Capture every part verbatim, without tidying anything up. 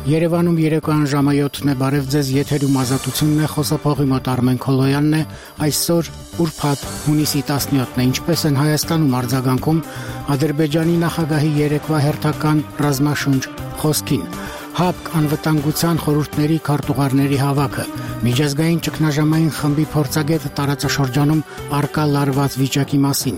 Երևանում երեկոյան ժամը յոթն է, բարև ձեզ, եթերում ազատությունն է, խոսափողի մոտ Արմեն Քոլոյանն է, այսօր ուրբաթ հունիսի տասնյոթն է, ինչպես են Հայաստանում արձագանքում Ադրբեջանի նախագահի երեկվա հերթական ռազմաշունչ խոսքին, ՀԱՊԿ անվտանգության խորհուրդների քարտուղարների հավաքը, միջազգային ճգնաժամային խմբի փորձագետը տարածաշրջանում առկա լարված վիճակի մասին,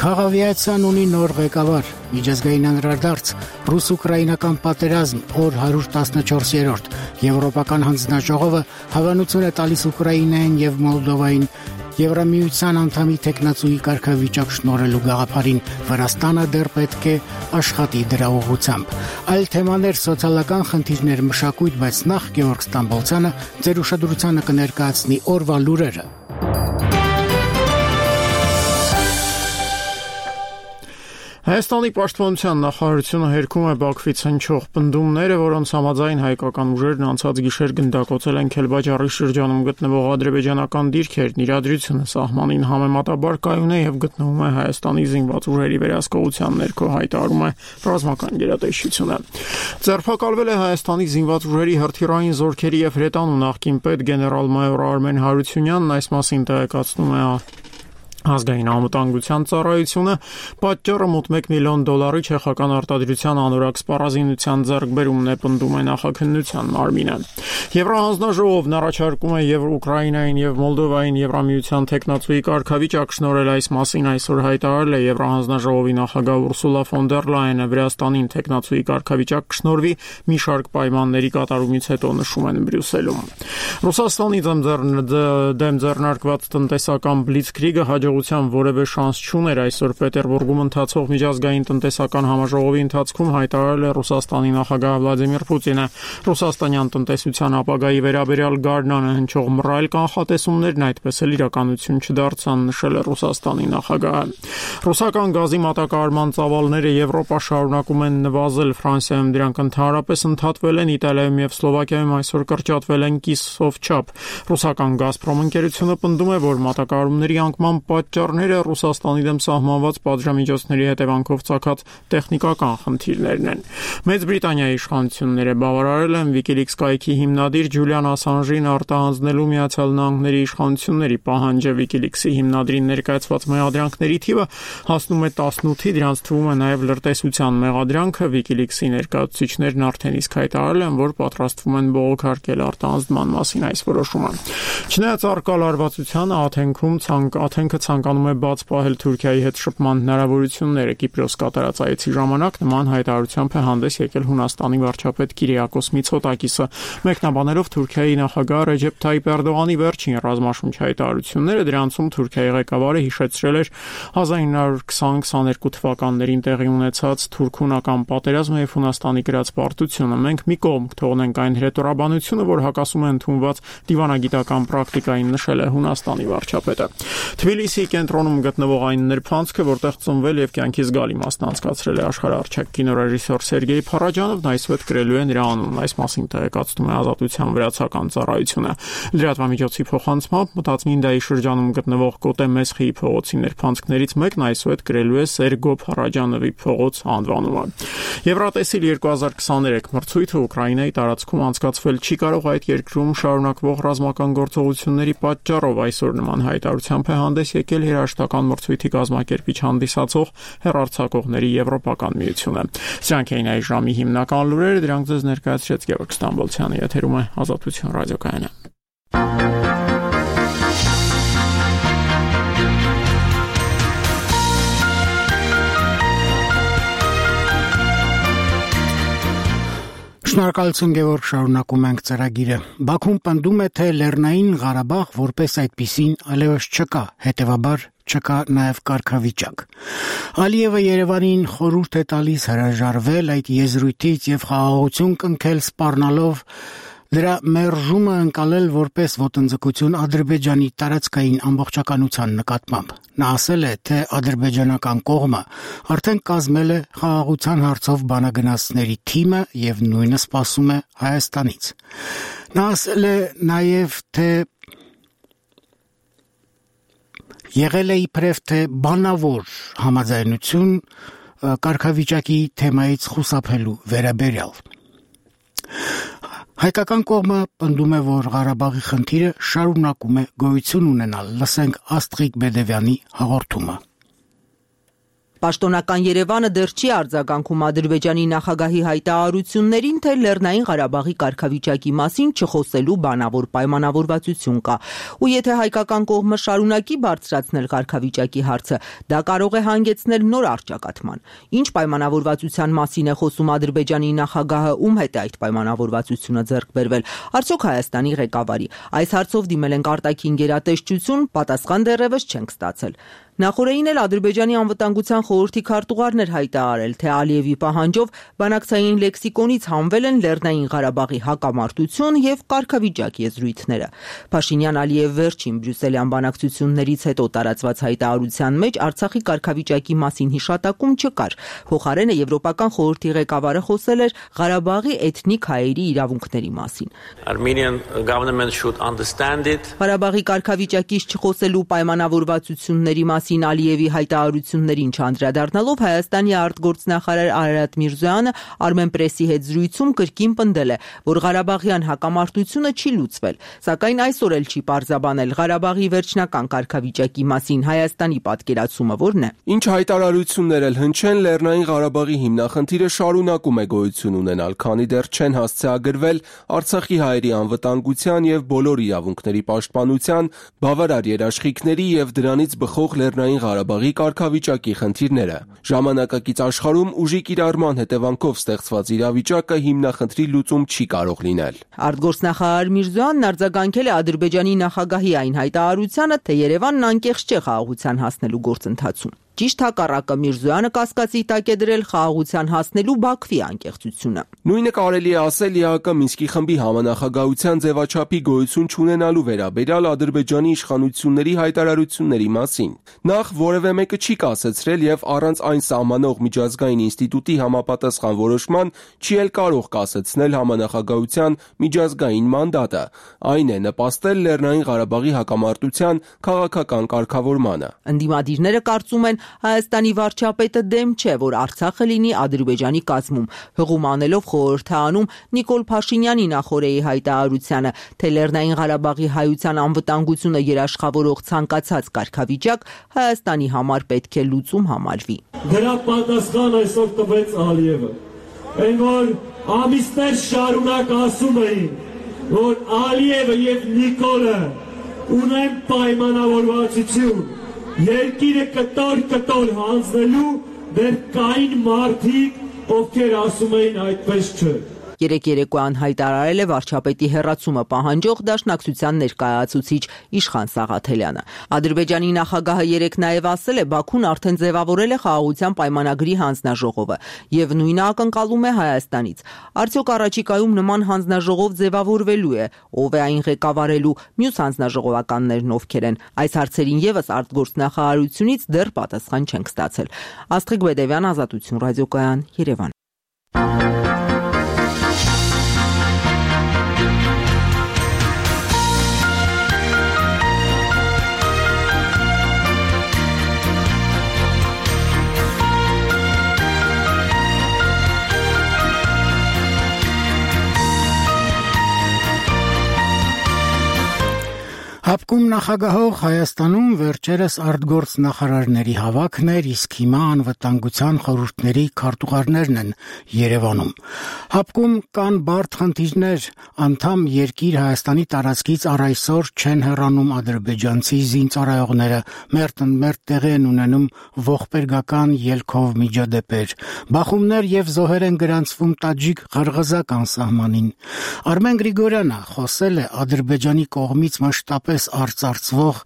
Քաղավիացիան ունի նոր ղեկավար, միջազգային անդրադարձ, ռուս-ուկրաինական պատերազմ, օր հարյուր տասնչորսերորդ, Եվրոպական հանձնաժողովը հավանություն է տալիս Ուկրաինային եւ Մոլդովային Եվրամիության անդամի տեխնացուի կարգավիճակ շնորհելու գաղափարին, Վրաստանը դեռ պետք է աշխատի դրա ուղղությամբ։ Այլ թեմաներ, սոցիալական խնդիրներ, մշակույթ, բայց նախ Գեորգ Ստամբոլցյանը ձեր ուշադրությանը կներկայացնի օրվա լուրերը։ Հայաստանի պաշտպանության նախարարությունը հերքում է Բաքվից հնչող պնդումները, որոնց համաձայն հայկական ուժերն անցած գիշեր գնդակոծել են Քելբաջարի շրջանում գտնվող ադրբեջանական դիրքերն, իրադրությունը սահմանին համեմատաբար կայուն է եւ գտնվում է Հայաստանի զինված ուժերի վերահսկողության ներքո, հայտարարում է ռազմական գերատեսչությունը։ Ձերբակալվել է Հայաստանի զինված ուժերի հրթիռային զորքերի եւ հրետանու նախկին պետ գեներալ-մայոր Արմեն Հարությունյանն, այս մասին տեղեկացնում է Ազգային անվտանգության ծառայությունը, պատճառը մոտ մեկ միլիոն դոլարի չեխական արտադրության անորակ սպառազինության ձեռքբերումն է, պնդում է նախաքննության մարմինը։ Եվրահանձնաժողովն առաջարկում է եւ Ուկրաինային եւ Մոլդովային Եվրամիության տեխնացուի կարգավիճակ շնորհել, այս մասին այսօր հայտարարել է Եվրահանձնաժողովի նախագահ Ուրսուլա ֆոն դեր Լայենը, Վրաստանին տեխնացուի կարգավիճակ կշնորհվի մի շարք պայմանների կատարումից հետո, նշում են Բրյուսելում։ Ռուսաստանի դեմ ձեռնարկված տնտեսական բլիցքրիգը հաջողության որևէ շանս չուներ, այսօր Պետերբուրգում ընթացող միջազգային տնտեսական համաժողովի ընթացքում հայտարարել է Ռուսաստանի նախագահ Վլադիմիր Պուտինը։ Ռուսաստանյան տնտեսության ապագայի վերաբերյալ գարնանը հնչող մռայլ կանխատեսումներն այդպես էլ իրականություն չդարձան, նշել է Ռուսաստանի նախագահը։ Ռուսական գազի մատակարարման ծավալները Եվրոպա շարունակում են նվազել, Ֆրանսիայում դրանք ընդհանրապես ընդհատվել են, Իտալիայում եւ Սլովակիայում այսօր կրճատվել են կիսով չափ։ Ռուսական Գազպրոմ ընկերությունը պնդում է, որ մատակարարումների անկման պատճառները Ռուսաստանի դեմ սահմանված պատժամիջոցների հետևանքով ծագած տեխնիկական խնդիրներն են։ Մեծ Բրիտանիայի իշխանությունները բավարարել են WikiLeaks կայքի հիմնադիր Ջուլիան Ասանժին արտահանձնելու Միացյալ Նահանգների իշխանությունների պահանջը։ WikiLeaks-ի հիմնադրին ներկայացված մեղադրանքների թիվը հասնում է տասնութի, դրանց թվում է նաև լրտեսության մեղադրանքը։ WikiLeaks-ի ներկայացուցիչներն արդեն իսկ հայտարարել են, որ պատրաստվում են բողոքարկել արտահանձնման մասին այս որոշումը։ Չնայած առկա լարվածությանը, Աթենքում ցանկ Աթենքը ցանկանում է բաց պահել Թուրքիայի հետ շփման հնարավորությունները։ Կիպրոս կատարած այցի ժամանակ նման հայտարարությամբ է հանդես եկել Հունաստանի վարչապետ Կիրիակոս Միցոտակիսը, մեկնաբանելով Թուրքիայի նախագահ Ռեջեփ Թայիպ Էրդողանի վերջին ռազմաշունչ հայտարարությունները, դրանցում Թուրքիայի ղեկավարը հիշեցրել էր հազար ինը հարյուր քսան քսաներկու թվականներին տեղի ունեցած թուրք-հունական պատերազմը եւ Հունաստանի գրած պարտությունը։ Մենք մի կողմ կթողնենք այն հրետորաբանությունը, որ հակասում է ընդունված դիվանագիտական պրակտիկային, նշել է Հունաստանի վարչապետը։ Թբիլիսիի կենտրոնում գտնվող այն նրբանցքը, որտեղ ծնվել եւ կյանքի զգալի մասն անցկացրել է աշխարհարչակ կինոռեժիսոր Սերգեյ Փարաջանովն, այսօր գրելու է նրա անունն, այս մասին տեղեկացնում է Ազատության վրացական ծառայությունը։ Լրատվամիջոցի փոխանցմամբ Մտածմինդայի շրջանում գտնվող Կոտե Մեսխիի փողոցի նրբանցքներից մեկն այսօր գրելու է Սերգո Փարաջանովի փողոց անվանումը։ Եվրատեսիլ երկու հազար քսաներեք մրցույթը Ուկրաինայի տարածքում անցկացվել չի կարող այդ երկրում շարունակվող ռազմական գործողությունների պատճառով, այսօր նման հայտարարությամբ է հանդես եկել երաժշտական մրցույթի կազմակերպիչ հանդիսացող հեռարձակողների Եվրոպական միությունը։ Սրանք էին այս ժամի հիմնական լուրերը, դրանք ձեզ ներկայացրեց Գեորգ Ստամբոլցյանը, եթերում է Ազատություն ռադիոկայանը։ Շնորհակալություն Գեորգ, շարունակում ենք ծրագիրը։ Բաքուն պնդում է, թե Լեռնային Ղարաբաղ որպես այդպիսին այլևս չկա, հետևաբար չկա նաև կարգավիճակ։ Ալիևը Երևանին խորհուրդ է տալիս հրաժարվել այդ եզրույթից եւ խաղաղություն կնքել, սպառնալով դրա մերժումը ընկալել որպես ոտնձգություն Ադրբեջանի տարածքային ամբողջականության նկատմամբ։ Նա ասել է, թե ադրբեջանական կողմը արդեն կազմել է խաղաղության հարցով բանագնացների թիմը եւ նույնը սպասում է Հայաստանից։ Նա ասել է նաեւ, թե եղել է իբրև թե բանավոր համաձայնություն կարգավիճակի թեմայից խուսափելու վերաբերյալ։ Հայկական կողմը պնդում է, որ Ղարաբաղի խնդիրը շարունակում է գոյություն ունենալ։ Լսենք Աստղիկ Բեդևյանի հաղորդումը։ Պաշտոնական Երևանը դեռ չի արձագանքում Ադրբեջանի նախագահի հայտարարություններին, թե Լեռնային Ղարաբաղի կարգավիճակի մասին չխոսելու բանավոր պայմանավորվածություն կա։ Ու եթե հայկական կողմը շարունակի բարձրացնել կարգավիճակի հարցը, դա կարող է հանգեցնել նոր առճակատման։ Ինչ պայմանավորվածության մասին է խոսում Ադրբեջանի նախագահը, ում հետ է այդ պայմանավորվածությունը ձեռք բերվել։ Արդյոք Հայաստանի ղեկավարի։ Այս հարցով դիմել ենք արտաքին գերատեսչություն, պատասխան դեռևս չենք ստացել։ Նախորդին էլ Ադրբեջանի անվտանգության խորհրդի քարտուղարն էր հայտարարել, թե Ալիևի պահանջով բանակցային լեքսիկոնից հանվել են Լեռնային Ղարաբաղի հակամարտություն եւ կարգավիճակ եզրույթները։ Փաշինյան-Ալիև վերջին բրյուսելյան բանակցություններից հետո տարածված հայտարարության մեջ Արցախի կարգավիճակի մասին հիշատակում չկար։ Փոխարենը Եվրոպական խորհրդի ղեկավարը խոսել էր Ղարաբաղի էթնիկ հայերի իրավունքների մասին։ Armenian government should understand it. Ղարաբաղի կարգավիճակից չխոսելու պայմանավորվածությունների մասին Ալիևի հայտարարություններին չանդրադառնալով Հայաստանի արտգործնախարար Արարատ Միրզոյանը Armenpress-ի հետ զրույցում կրկին պնդել է, որ Ղարաբաղյան հակամարտությունը չի լուծվել, սակայն այսօր էլ չի պարզաբանել Ղարաբաղի վերջնական կարգավիճակի մասին Հայաստանի պատկերացումը որն է։ Ինչ հայտարարություններ էլ հնչեն, Լեռնային Ղարաբաղի հիմնախնդիրը շարունակում է գոյություն ունենալ, քանի դեռ չեն հասցեագրվել Արցախի հայերի անվտանգության եւ բոլոր իրավունքների պաշտպանության, բավարար երաշխիքների եւ դրանից բխող Լեռնային Ղարաբաղի կարգավիճակի խնդիրները։ Ժամանակակից աշխարհում ուժի կիրառման հետևանքով ստեղծված իրավիճակը հիմնախնդրի լուծում չի կարող լինել։ Արտգործնախարար Միրզոյանն արձագանքել է Ադրբեջանի նախագահի այն հայտարարությանը, թե Երևանն անկեղծ չէ խաղաղության հասնելու գործընթացում։ Ճիշտ հակառակը Միրզոյանը կասկածի տակ է դրել խաղաղության հասնելու Բաքվի անկեղծությունը։ Նույնը կարելի է ասել ԵԱԿ Մինսկի խմբի համանախագահության ձևաչափի գոյություն չունենալու վերաբերյալ Ադրբեջանի իշխանությունների հայտարարությունների մասին։ Նախ որևէ մեկը չի կասեցրել եւ առանց այն սահմանող միջազգային ինստիտուտի համապատասխան որոշման չի էլ կարող կասեցնել համանախագահության միջազգային մանդատը։ Այն է նպաստել Լեռնային Ղարաբաղի հակամարտության քաղաքական կարգավորմանը։ Ընդդիմադիրները կարծում են Հայաստանի վարչապետը դեմ չէ, որ Արցախը լինի Ադրբեջանի կազմում, հղում անելով խորհրդանում Նիկոլ Փաշինյանի նախորդի հայտարարությանը, թե Լեռնային Ղարաբաղի հայության անվտանգությունը երաշխավորող ցանկացած կարգավիճակ Հայաստանի համար պետք է լուծում համարվի։ Դրա պատասխան այսօր տվեց Ալիևը, այն որ ամիսներ շարունակ ասում էին, որ Ալիևը եւ Նիկոլը ունեն պայմանավորվածություն երկիրը կտոր-կտոր հանձնելու, դեռ կային մարդիկ, ովքեր ասում էին այդպես չէ։ Երեք երեկոյան հայտարարել է վարչապետի հեռացումը պահանջող Դաշնակցության ներկայացուցիչ Իշխան Սաղաթելյանը։ Ադրբեջանի նախագահը երեկ նաև ասել է, Բաքուն արդեն ձևավորել է խաղաղության պայմանագրի հանձնաժողովը եւ նույնը ակնկալում է Հայաստանից։ Արդյոք առաջիկայում նման հանձնաժողով ձևավորվելու է, ով է այն ղեկավարելու, մյուս հանձնաժողովականներն ովքեր են։ Այս հարցերին եւս արտգործնախարարությունից դեռ պատասխան չենք ստացել։ Աստղիկ Բեդևյան, Ազատություն ռադիոկայան, Երևան։ Հապկում նախագահող Հայաստանում վերջերս արտգործ նախարարների հավաքն էր, իսկ հիմա անվտանգության խորհուրդների քարտուղարներն են Երևանում։ Հապկում կան բարդ խնդիրներ, անդամ երկիր Հայաստանի տարածքից առ այսօր չեն հեռանում ադրբեջանցի զինծառայողները, մերթ-մերթ տեղի են ունենում ողբերգական ելքով միջադեպեր։ Բախումներ եւ զոհեր են գրանցվում տաջիկ-ղրղզական սահմանին։ Արմեն Գրիգորյանը խոսել է Ադրբեջանի կողմից մշտապես արծարծվող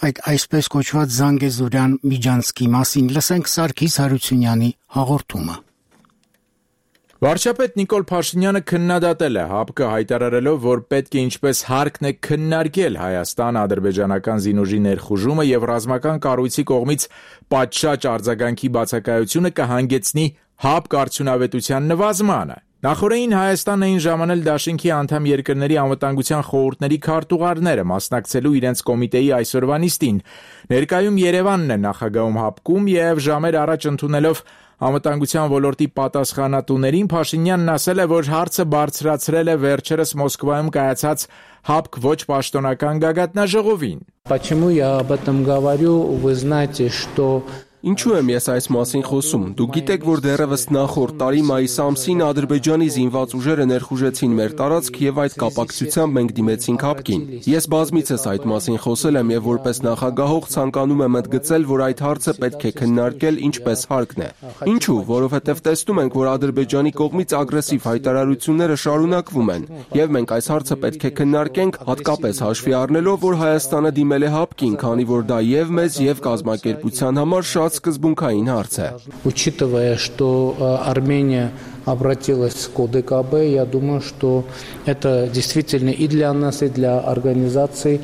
այդ այսպես կոչված Զանգեզուրյան միջանցքի մասին։ Լսենք Սարգիս Հարությունյանի հաղորդումը։ Վարչապետ Նիկոլ Փաշինյանը քննադատել է ՀԱՊԿ հայտարարելով, որ պետք է ինչպես հարկն է քննարկել Հայաստան-ադրբեջանական զինուժի ներխուժումը եւ ռազմական կառույցի կողմից պատշաճ արձագանքի բացակայությունը կհանգեցնի ՀԱՊԿ արդյունավետության նվազմանը։ Նախորդին Հայաստանն էին ժամանել դաշինքի անդամ երկրների անվտանգության խորհուրդների քարտուղարները մասնակցելու իրենց կոմիտեի այսօրվա նիստին։ Ներկայում Երևանն է նախագահում հապկում եւ ժամեր առաջ ընդունելով անվտանգության ոլորտի պատասխանատուներին Փաշինյանն ասել է, որ հարցը բարձրացրել է վերջերս Մոսկվայում կայացած հապկ ոչ պաշտոնական գագաթնաժողովին։ Почему я об этом говорю? Вы знаете, что Ինչու եմ ես այս մասին խոսում։ Դուք գիտեք, որ դեռևս նախորդ տարի մայիս ամսին Ադրբեջանի զինված ուժերը ներխուժեցին մեր տարածք եւ այդ կապակցությամբ մենք դիմեցինք հապկին։ Ես բազմիցս այդ մասին խոսել եմ եւ որպես նախագահող ցանկանում եմ ընդգծել, որ այդ հարցը պետք է քննարկել ինչպես հարկն է։ Ինչու՞, որովհետեւ տեսնում ենք, որ Ադրբեջանի կողմից ագրեսիվ հայտարարությունները շարունակվում են եւ մենք այս հարցը պետք է քննարկենք, հատկապես հաշվի առնելով, որ Հայաստանը դիմել է հապկին, քանի որ դա եւ մեզ եւ կազմակերպության համար շատ սկզբունքային հարց է։ Учитывая, что Армения обратилась к О Д К Б, я думаю, что это действительно и для нас, и для организации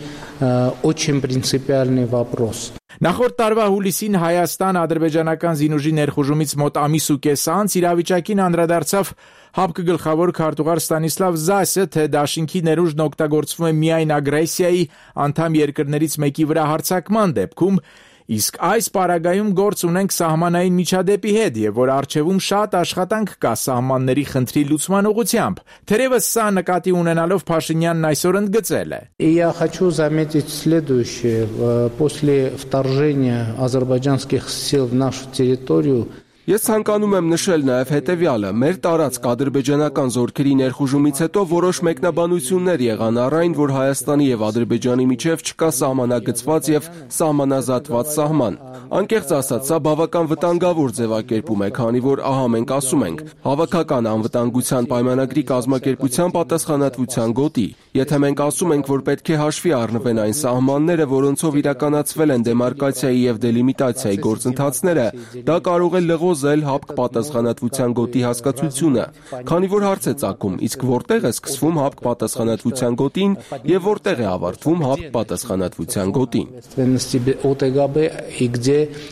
очень принципиальный вопрос. Նախորդ տարվա հուլիսին Հայաստան ադրբեջանական զինուժի ներխուժումից մոտ ամիս ու կես անց իրավիճակին անդրադարձավ հապկ գլխավոր քարտուղար Ստանիսլավ Զասը, թե դաշինքի ներուժն օգտագործվում է միայն ագրեսիայի անդամ երկրներից մեկի վրա հարձակման դեպքում, իսկ այս պարագայում գործ ունենք սահմանային միջադեպի հետ եւ որ արժեվում շատ աշխատանք կա սահմանների խնդրի լուծման ուղղությամբ։ Թերևս սա նկատի ունենալով Փաշինյանն այսօր ընդգծել է. Я хочу заметить следующее. После вторжения азербайджанских сил в нашу территорию Ես ցանկանում եմ նշել նաև հետևյալը. մեր տարածք ադրբեջանական զորքերի ներխուժումից հետո որոշ մեկնաբանություններ եղան առ այն, որ Հայաստանի եւ Ադրբեջանի միջև չկա սահմանագծված եւ սահմանազատված սահման։ Անկեղծ ասած, սա բավական վտանգավոր ձևակերպում է, քանի որ ահա մենք ասում ենք. հավաքական անվտանգության պայմանագրի կազմակերպության պատասխանատվության գոտի։ Եթե մենք ասում ենք, որ պետք է հաշվի առնվեն այն սահմանները, որոնցով իրականացվել են դեմարկացիայի եւ դելիմիտացիայի գործընթացները, դա կարող է լղոզել հապկ պատասխանատվության գոտի հասկացությունը, քանի որ հարց է ծագում, իսկ որտեղ է սկսվում հապկ պատասխանատվության գոտին եւ որտեղ է ավարտվում հապկ պատասխանատվության գոտին։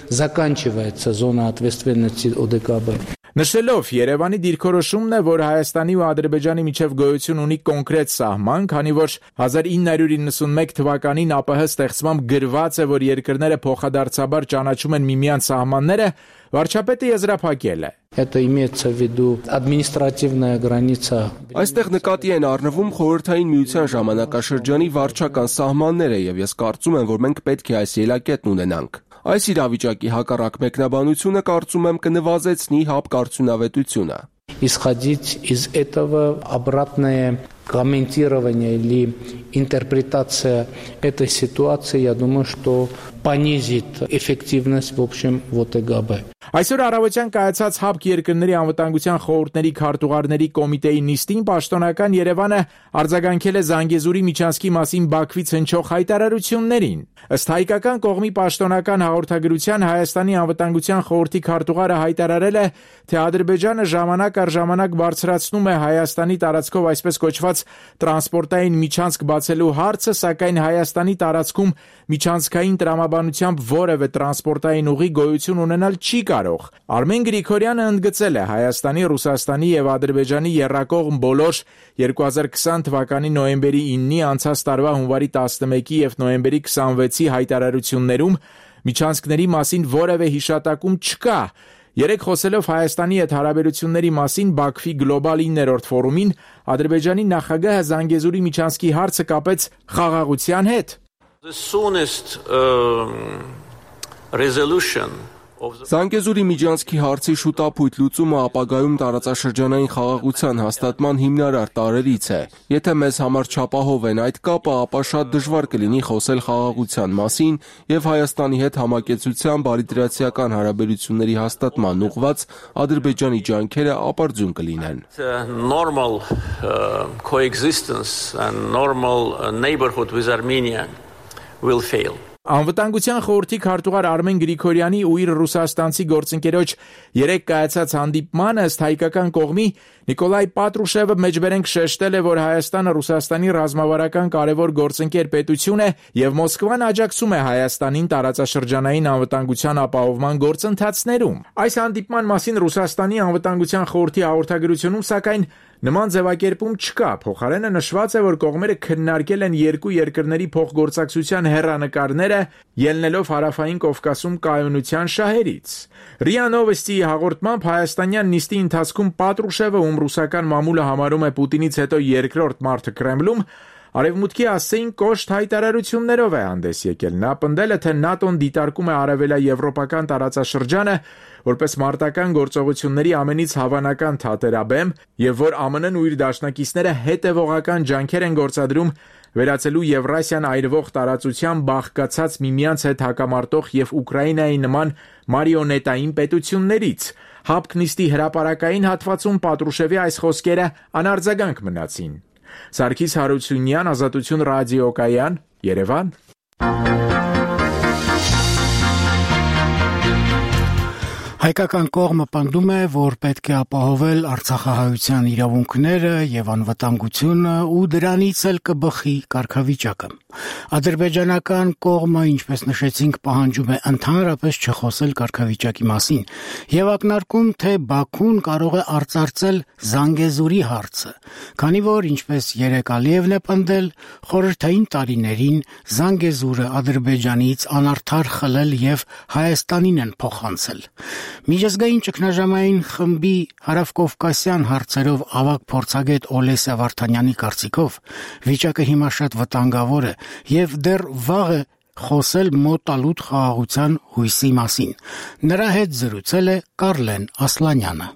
Заканчивается зона ответственности О Д К Б. Նշելով Երևանի դիրքորոշումն է, որ Հայաստանի ու Ադրբեջանի միջև գոյություն ունի կոնկրետ սահման, քանի որ հազար ինը հարյուր իննսունմեկ թվականին ԱՊՀ ստեղծմամբ գրված է, որ երկրները փոխադարձաբար ճանաչում են միմյանց սահմանները, վարչապետը եզրափակել է. Это имеется в виду административная граница. Այստեղ նկատի են առնվում խորհրդային միության ժամանակաշրջանի վարչական սահմանները եւ ես կարծում եմ, որ մենք պետք է այս ելակետն ունենանք։ Այս իրավիճակի հակառակ մեկնաբանությունը կարծում եմ կնվազեցնի հապկ արդյունավետությունը։ Исходить из этого обратное комментирование или интерпретация этой ситуации, я думаю, что понизит эффективность в общем в О Т Г Б. Այսօր առավոտյան կայացած հապկ երկրների անվտանգության խորհուրդների քարտուղարների կոմիտեի նիստին պաշտոնական Երևանը արձագանքել է Զանգեզուրի միջանցքի մասին Բաքվից հնչող հայտարարություններին։ Ըստ հայկական կողմի պաշտոնական հաղորդագրության Հայաստանի անվտանգության խորհրդի քարտուղարը հայտարարել է, թե Ադրբեջանը ժամանակ առ ժամանակ բարձրացնում է Հայաստանի տարածքով այսպես կոչված տրանսպորտային միջանցք բացելու հարցը, սակայն Հայաստանի տարածքում միջանցքային տրամաբանությամբ որևէ տրանսպորտային ուղի գոյություն ունենալ չի կարող։ Արմեն Գրիգորյանը ընդգծել է Հայաստանի, Ռուսաստանի եւ Ադրբեջանի եռակողմ բոլոր երկու հազար քսան թվականի նոյեմբերի իննի, անցած տարվա հունվարի տասնմեկի եւ նոյեմբերի քսանվեցի հայտարարություններում միջանցքների մասին որևէ հիշատակում չկա։ Երեք խոսելով Հայաստանի հետ հարաբերությունների մասին Բաքվի գլոբալ իններորդ ֆորումին Ադրբեջանի նախագահը Զանգեզուրի միջանցքի հարցը կապեց խաղաղության հետ։ The soonest uh, resolution Զանգեզուրի միջանցքի հարցի շուտապույտ լուծումը ապագայում տարածաշրջանային խաղաղության հաստատման հիմնարար տարրերից է։ Եթե մեզ համար չապահով են այդ կապը, ապա շատ դժվար կլինի խոսել խաղաղության մասին եւ Հայաստանի հետ համակեցության բարիդրացիական հարաբերությունների հաստատման ուղղված Ադրբեջանի ջանքերը ապարդյուն կլինեն։ Normal uh, coexistence and normal uh, neighborhood with Armenia will fail. Անվտանգության խորհրդի քարտուղար Արմեն Գրիգորյանի ու իր ռուսաստանցի գործընկերոջ երեք կայացած հանդիպմանը ըստ հայկական կողմի Նիկոլայ Պատրուշևը մեջբերենք շեշտել է, որ Հայաստանը Ռուսաստանի ռազմավարական կարևոր գործընկեր պետություն է եւ Մոսկվան աջակցում է Հայաստանին տարածաշրջանային անվտանգության ապահովման գործընթացներում։ Այս հանդիպման մասին Ռուսաստանի անվտանգության խորհրդի հաղորդագրությունում սակայն նման ձևակերպում չկա, փոխարենը նշված է, որ կողմերը քննարկել են երկու երկրների փոխգործակցության հեռանկարները, ելնելով Հարավային Կովկասում կայունության շահերից։ ՌԻԱ Նովոստիի հաղորդմամբ հայաստանյան նիստի ընթացքում Պատրուշևը, ում ռուսական մամուլը համարում է Պուտինից հետո երկրորդ մարդը Կրեմլում, Արևմուտքի ասեին կոշտ հայտարարություններով է հանդես եկել։ Նա պնդել է, թե ՆԱՏՕ-ն դիտարկում է արևելաեվրոպական տարածաշրջանը որպես մարտական գործողությունների ամենից հավանական թատերաբեմ եւ որ ԱՄՆ-ն ու իր դաշնակիցները հետեւողական ջանքեր են գործադրում վերածելու Եվրասիան այրվող տարածության բաղկացած միմյանց հետ հակամարտող եւ Ուկրաինայի նման մարիոնետային պետություններից։ Հապկ նիստի հրապարակային հատվածում Պատրուշևի այս խոսքերը անարձագանք մնացին։ Սարգիս Հարությունյան, Ազատություն ռադիոկայան, Երևան։ Հայկական կողմը պնդում է, որ պետք է ապահովել արցախահայության իրավունքները եւ անվտանգությունը ու դրանից էլ կբխի կարգավիճակը։ Ադրբեջանական կողմը, ինչպես նշեցինք, պահանջում է ընդհանրապես չխոսել կարգավիճակի մասին եւ ակնարկում, թե Բաքուն կարող է արծարծել Զանգեզուրի հարցը, քանի որ, ինչպես երեք Ալիևն է պնդել, խորհրդային տարիներին Զանգեզուրը Ադրբեջանից անարդար խլել եւ Հայաստանին են փոխանցել։ Միջազգային ճգնաժամային խմբի հարավկովկասյան հարցերով ավագ փորձագետ Օլեսիա Վարդանյանի կարծիքով վիճակը հիմա շատ վտանգավոր է եւ դեռ վաղ է խոսել մոտալուտ խաղաղության հույսի մասին։ Նրա հետ զրուցել է Կարլեն Ասլանյանը։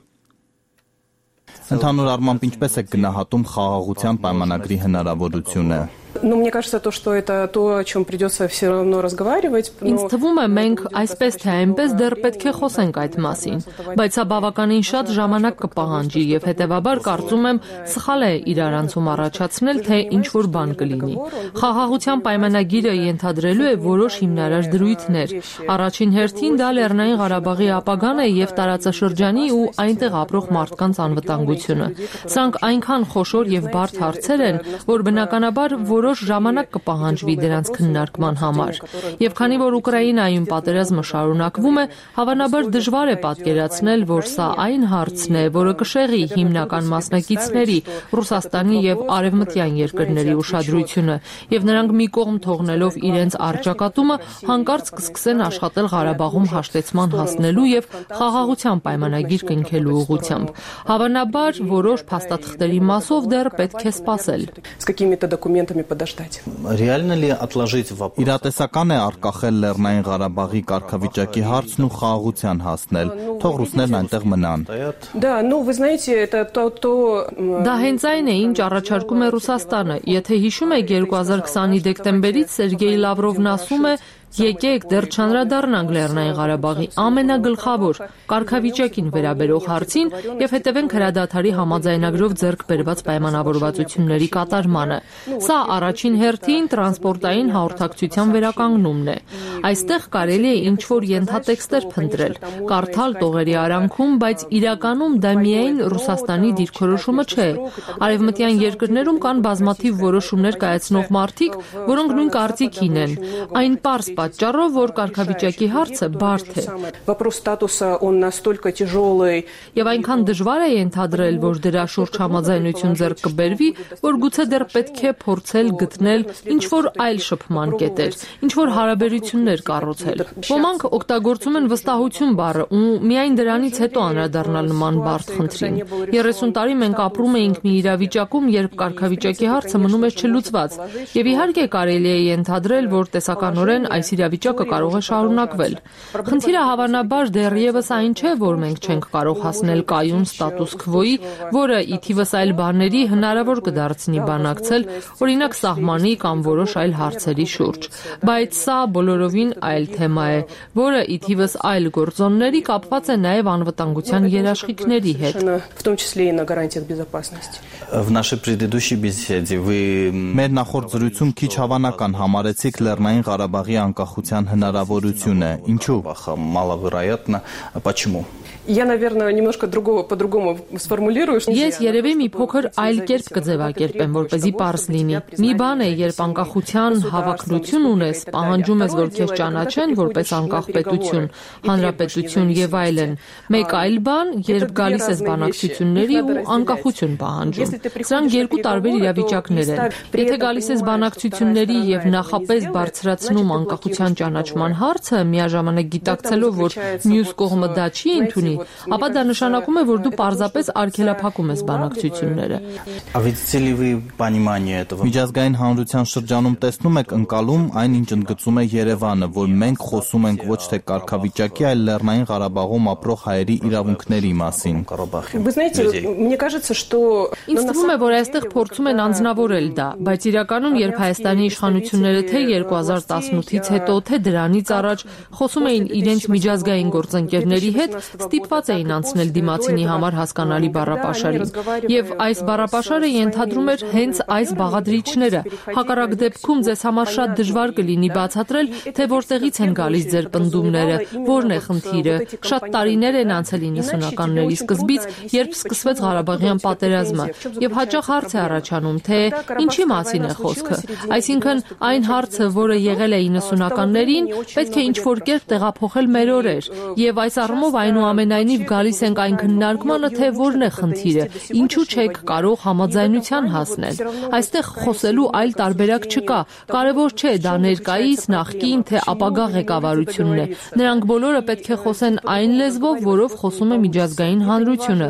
Ընդհանուր առմամբ ինչպես է գնահատում խաղաղության պայմանագրի հնարավորությունը։ Ну, мне кажется, то, что это то, о чем придется все равно разговаривать. Ինձ թվում է մենք այսպես թե այնպես դեռ պետք է խոսենք այդ մասին, բայց սա բավականին շատ ժամանակ կպահանջի եւ հետեւաբար կարծում եմ սխալ է իրարանցում առաջացնել, թե ինչ որ բան կլինի։ Խաղաղության պայմանագիրը ենթադրելու է որոշ հիմնարար դրույթներ։ Առաջին հերթին դա Լեռնային Ղարաբաղի ապագան է եւ տարածաշրջանի ու այնտեղ ապրող մարդկանց անվտանգությունը։ Սրանք այնքան խոշոր եւ բարդ հարցեր են, որ բնականաբար որոշ ժամանակ կպահանջվի դրանց քննարկման համար։ Եվ քանի որ Ուկրաինայում պատերազմը շարունակվում է, հավանաբար դժվար է պատկերացնել, որ սա այն հարցն է, որը կշեղի հիմնական մասնակիցների, Ռուսաստանի եւ արևմտյան երկրների ուշադրությունը, եւ նրանք մի կողմ թողնելով իրենց առճակատումը, հանկարծ կսկսեն աշխատել Ղարաբաղում հաշտեցման հասնելու եւ խաղաղության պայմանագիր կնքելու ուղղությամբ։ Հավանաբար որոշ փաստաթղթերի մասով դեռ պետք է սպասել։ Подождать. Реально ли отложить вопрос? Իրատեսական է արկախել Լեռնային Ղարաբաղի կարգավիճակի հարցն ու խաղաղության հասնել, թող ռուսներն այնտեղ մնան։ Да, ну вы знаете, это то то Դա հենց այն է, ինչ առաջարկում է Ռուսաստանը։ Եթե հիշում եք երկու հազար քսանի դեկտեմբերից Սերգեյ Լավրովն ասում է, եկեք դեռ չանդրադառնանք Լեռնային Ղարաբաղի ամենագլխավոր կարգավիճակին վերաբերող հարցին եւ հետևենք հրադադարի համաձայնագրով ձեռք բերված պայմանավորվածությունների կատարմանը։ Սա առաջին հերթին տրանսպորտային հաղորդակցության վերականգնումն է։ Այստեղ կարելի է ինչ-որ ենթատեքստեր փնտրել, կարդալ տողերի արանքում, բայց իրականում դա միայն Ռուսաստանի դիրքորոշումը չէ։ Արևմտյան երկրներում կան բազմաթիվ որոշումներ կայացնող մարդիկ, որոնք նույն կարծիքին են։ Այն պարզ պատճառով, որ կարգավիճակի հարցը բարդ է։ Вопрос статуса он настолько тяжелый. Եվ այնքան դժվար է ենթադրել, որ դրա շուրջ համաձայնություն ձեռք կբերվի, որ գուցե դեռ պետք է փորձել գտնել ինչ-որ այլ շփման կետեր, ինչ-որ հարաբերություններ կառուցել։ Ոմանք օգտագործում են վստահություն բառը ու միայն դրանից հետո անդրադառնալ նման բարդ խնդրին։ երեսուն տարի մենք ապրում էինք մի իրավիճակում, երբ կարգավիճակի հարցը մնում էր չլուծված։ Եվ իհարկե կարելի է ենթադրել, որ տեսականորեն այս իրավիճակը կարող է շարունակվել։ Խնդիրը հավանաբար դեռևս այն չէ, որ մենք չենք կարող հասնել կայուն ստատուս քվոյի, որը ի թիվս այլ բաների հնարավոր կդարձնի բանակցել, օրինակ սահմանի կամ որոշ այլ հարցերի շուրջ։ Բայց սա բոլորովին այլ թեմա է, որը ի թիվս այլ գործոնների կապված է նաև անվտանգության երաշխիքների հետ։ В том числе и на гарантиях безопасности. В нашей предыдущей беседе вы Մեր նախորդ զրույցում քիչ հավանական համարեցիք Լեռնային Ղարաբաղի անկախության հնարավորությունը։ Ինչու՞։ Маловероятно. Почему? Я, наверное, немножко другого, по-другому сформулирую. Ես երևի մի փոքր այլ կերպ կձևակերպեմ, որպեսզի պարզ լինի։ Մի բան է, երբ անկախության հավակնություն ունես, պահանջում ես, որ քեզ ճանաչեն որպես անկախ պետություն, հանրապետություն եւ այլն։ Մեկ այլ բան, երբ գալիս ես բանակցությունների ու անկախություն պահանջում։ Սրանք երկու տարբեր իրավիճակներ են։ Եթե գալիս ես բանակցությունների եւ նախապես բարձրացնում անկախության ճանաչման հարցը, միաժամանակ գիտակցելով, որ մյուս կողմը դա չի ընդունի, ապա դա նշանակում է, որ դու պարզապես արգելափակում ես բանակցությունները։ Միջազգային հանրության շրջանում տեսնում եք ընկալում այն, ինչ ընդգծում է Երևանը, որ մենք խոսում ենք ոչ թե կարգավիճակի, այլ Լեռնային Ղարաբաղում ապրող հայերի իրավունքների մասին։ Ինձ թվում է, որ այստեղ փորձում են անձնավորել դա, բայց իրականում, երբ Հայաստանի իշխանությունները թե երկու հազար տասնութից հետո, թե դրանից առաջ խոսում էին իրենց միջազգային գործընկերների հետ, ստիպված էին անցնել դիմացինի համար հասկանալի բառապաշարին։ Եվ այս բառապաշարը ենթադրում էր հենց այս բաղադրիչները։ Հակառակ դեպքում ձեզ համար շատ դժվար կլինի բացատրել, թե որտեղից են գալիս ձեր պնդումները, որն է խնդիրը։ Շատ տարիներ են անցել իննսունականների սկզբից, երբ սկսվեց Ղարաբաղյան պատերազմը, եւ հաճախ հարց է առաջանում, թե ինչի մասին է խոսքը։ Այսինքն, այն հարցը, որը եղել է իննսունականներին, պետք է ինչ-որ կերպ տեղափոխել մեր օրեր, եւ այս առումով այնուամենայնիվ գալիս ենք այն քննարկմանը, թե որն է խնդիրը, ինչու չեք կարող համաձայնության հասնել։ Այստեղ խոսելու այլ տարբերակ չկա։ Կարևոր չէ դա ներկայիս, նախկին, թե ապագա ղեկավարությունն է։ Նրանք բոլորը պետք է խոսեն այն լեզվով, որով խոսում է միջազգային հանրությունը։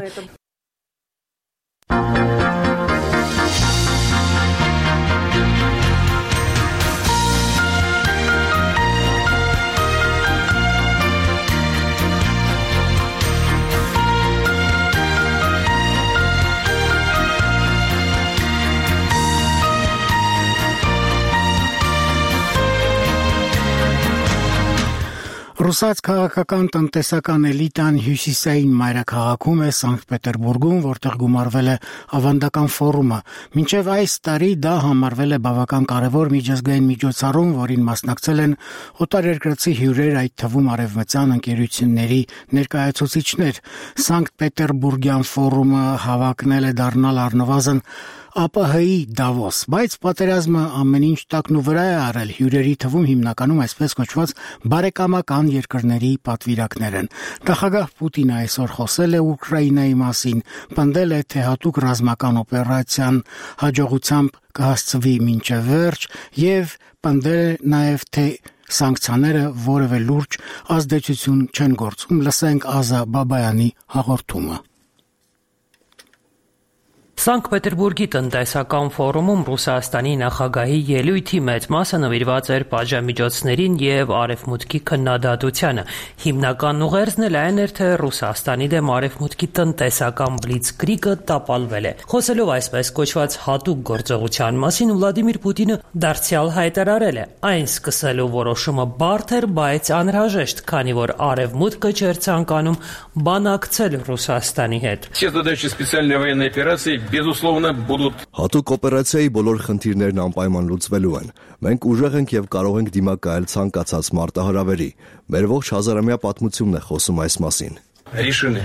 Ռուսաց քաղաքական տնտեսական էլիտան հյուսիսային մայրաքաղաքում է Սանկտ Պետերբուրգում, որտեղ գումարվել է ավանդական ֆորումը։ Մինչև այս տարի դա համարվել է բավական կարևոր միջազգային միջոցառում, որին մասնակցել են օտարերկրացի հյուրեր, այդ թվում արևմտյան ընկերությունների ներկայացուցիչներ։ Սանկտ Պետերբուրգյան ֆորումը հավակնել է դառնալ առնվազն ԱՊՀ-ի Դավոս, բայց պատերազմը ամեն ինչ տակն ու վրա է արել, հյուրերի թվում հիմնականում այսպես կոչված բարեկամական երկրների պատվիրակներ են։ Նախագահ Պուտինը այսօր խոսել է Ուկրաինայի մասին, պնդել է, թե հատուկ ռազմական օպերացիան հաջողությամբ կհասցվի մինչև վերջ եւ պնդել է նաեւ, թե սանկցիաները որևէ լուրջ ազդեցություն չեն գործում։ Լսենք Ազա Բաբայանի հաղորդումը։ Սանկտ Պետերբուրգի տնտեսական ֆորումում Ռուսաստանի նախագահի ելույթի մեծ մասը նվիրված էր պատժամիջոցներին եւ արևմուտքի քննադատությանը։ Հիմնական ուղերձն էլ այն էր, թե Ռուսաստանի դեմ արևմուտքի տնտեսական բլիցկրիգը տապալվել է։ Խոսելով այսպես կոչված հատուկ գործողության մասին, Վլադիմիր Պուտինը դարձյալ հայտարարել է. այն սկսելու որոշումը բարդ էր, բայց անհրաժեշտ, քանի որ արևմուտքը չէր ցանկանում բանակցել Ռուսաստանի հետ։ Безусловно, будут. Հատուկ օպերացիայի բոլոր խնդիրներն անպայման լուծվելու են։ Մենք ուժեղ ենք եւ կարող ենք դիմակայել ցանկացած մարտահրավերի։ Մեր ողջ հազարամյա պատմությունն է խոսում այս մասին։ Решены.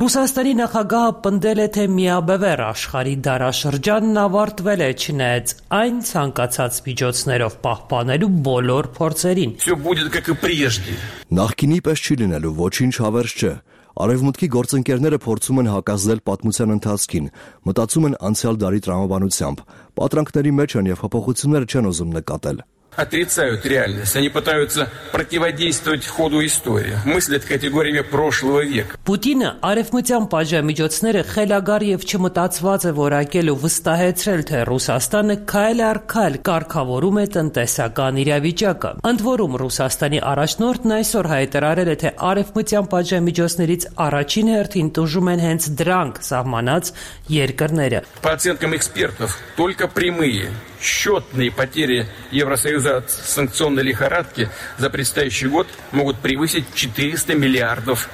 Ռուսաստանի նախագահը պնդել է, թե միաբևեռ աշխարհի դարաշրջանն ավարտվել է, չնայած այն ցանկացած միջոցներով պահպանելու բոլոր փորձերին։ Всё будет как и прежде. Նախկինի պես չի լինելու, ոչինչ հավերժ չէ։ Արևմուտքի գործընկերները փորձում են հակազդել պատմության ընթացքին, մտածում են անցյալ դարի տրամաբանությամբ, պատրանքների մեջ են եւ հպողություններ չեն ուզում նկատել։ Отрицают реальность. Они пытаются противодействовать ходу истории. Мыслят категориями прошлого века. Պուտինը արևմտյան պատժամիջոցները խելագար եւ չմտածված է որակել ու վստահեցրել, թե Ռուսաստանը քայլ առ քայլ կարգավորում է տնտեսական իրավիճակը։ Ընդ որում Ռուսաստանի առաջնորդն այսօր հայտարարել է, թե արևմտյան պատժամիջոցներից առաջին հերթին տուժում են հենց դրանք սահմանած երկրները։ По оценкам экспертов, только прямые счетные потери Евросоюза от санкционной лихорадки за предстоящий год могут превысить четыреста миллиардов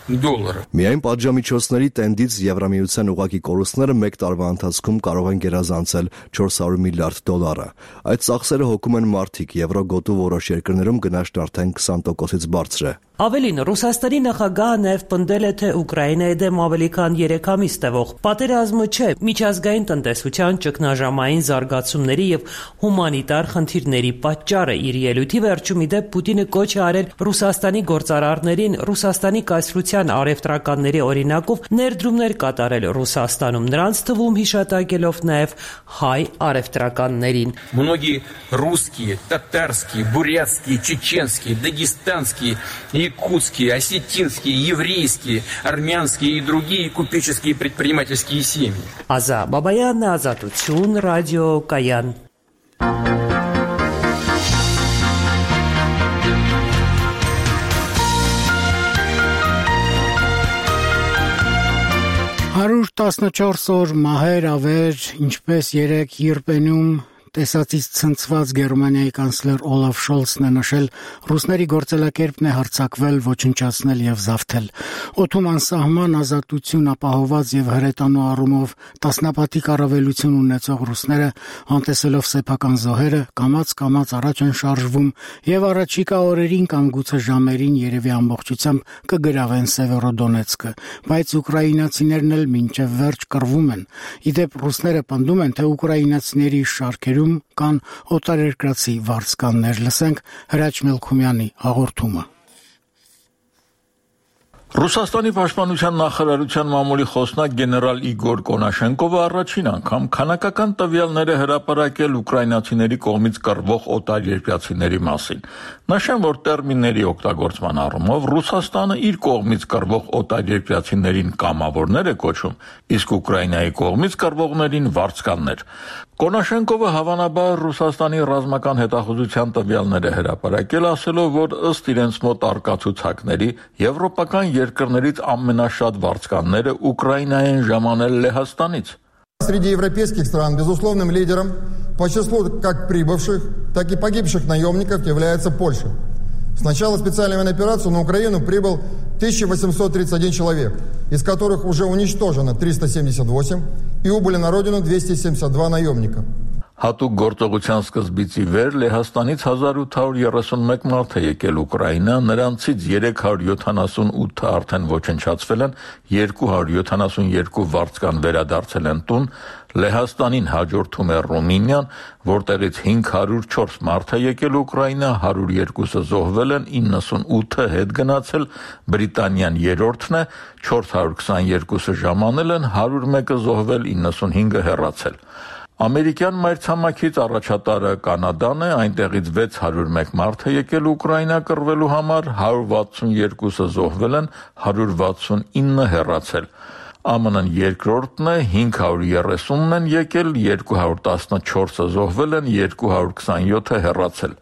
долларов. Միայն պատժամիջոցների տենդից Եվրամիության ուղղակի կորուստները մեկ տարվա ընթացքում կարող են գերազանցել չորս հարյուր միլիարդ դոլարը։ Այդ ծախսերը հոգում են մարդիկ, եվրո գոտու որոշ երկրներում գնաճն արդեն քսան տոկոսից բարձր է։ Ավելին, Ռուսաստանի նախագահը նաև պնդել է, թե Ուկրաինայի դեմ ավելի քան երեք ամիս տևող պատերազմը չէ, միջազգային տնտեսության ճգնաժամային զարգացումների եւ հումանիտար խնդիրների պատճառը։ Իր ելույթի վերջում ի դեպ Պուտինը կոչ է արել Ռուսաստանի գործարարներին Ռուսաստանի կայսրության առևտրականների օրինակով ներդրումներ կատարել Ռուսաստանում, նրանց թվում հիշատակելով նաև հայ առևտրականներին։ Многие русские, татарские, бурятские, чеченские, дагестанские, якутские, осетинские, еврейские, армянские и другие купеческие предпринимательские семьи. Ազա Բաբայան, Ազատություն, ռադիո Կայան։ հարյուր տասնչորս օր մահեր ավեր, ինչպես երեք Յիրպենում տեսածից ցնցված Գերմանիայի կանցլեր Օլաֆ Շոլցն է նշել, ռուսների գործելակերպն է հարձակվել, ոչնչացնել եւ զավթել։ Օդում անսահման ազատություն ապահոված եւ հրետանու առումով տասնապատիկ առավելություն ունեցող ռուսները, անտեսելով սեփական զոհերը, կամաց-կամաց առաջ են շարժվում եւ առաջիկա օրերին կամ գուցե ժամերին երևի ամբողջությամբ կգրավեն Սևերոդոնեցկը, բայց ուկրաինացիներն էլ մինչեւ վերջ կռվում են։ Իդեպ ռուսները պնդում են, թե ուկրաինացիների շարքերում կան օտարերկրացի վարձկաններ։ Լսենք Հրաչ Մելքումյանի հաղորդումը։ Ռուսաստանի պաշտպանության նախարարության մամուլի խոսնակ գեներալ Իգոր Կոնաշենկովը առաջին անգամ քանակական տվյալներ է հրապարակել ուկրաինացիների կողմից կռվող օտարերկրացիների մասին։ Նշեմ, որ տերմինների օգտագործման առումով Ռուսաստանը իր կողմից կռվող օտարերկրացիներին կամավորներ է կոչում, իսկ Ուկրաինայի կողմից կռվողներին վարձկաններ։ Կոնաշենկովը հավանաբար Ռուսաստանի ռազմական հետախուզության տվյալներ է հրապարակել, ասելով, որ ըստ իրենց մոտ արկա ցուցակների եվրոպական երկրներից ամենաշատ վարձկանները Ուկրաինայի են ժամանել Լեհաստանից։ Среди европейских стран безусловным лидером по числу как прибывших, так и погибших наемников является Польша. С начала специальной военной операции на Украину прибыл тысяча восемьсот тридцать один человек, из которых уже уничтожено триста семьдесят восемь и убыли на родину двести семьдесят два наемника. Հատուկ գործողության սկզբից ի վեր Լեհաստանից հազար ութ հարյուր երեսունմեկ մարդ է եկել Ուկրաինա, նրանցից երեք հարյուր յոթանասունութը արդեն ոչնչացվել են, երկու հարյուր յոթանասունյոթ վարձկան վերադարձել են տուն, Լեհաստանին հաջորդում է Ռումինիան, որտեղից հինգ հարյուր չորս մարդ է եկել Ուկրաինա, հարյուր երկուսը զոհվել են, իննսունութը հետ գնացել, Բրիտանիան երրորդն է, չորս հարյուր քսաներկուսը ժամանել են, հարյուր մեկը զոհվել, իննսունհինգը հեռացել։ Ամերիկյան մայրցամաքից առաջատարը Կանադան է, այնտեղից վեց հարյուր մեկ մարդ է եկել Ուկրաինա կռվելու համար, հարյուր վաթսունյոթը զոհվել են, հարյուր վաթսունինը հեռացել։ ԱՄՆ-ն երկրորդն է, հինգ հարյուր երեսունն են եկել, երկու հարյուր տասնչորսը զոհվել են, երկու հարյուր քսաներկուսը հեռացել։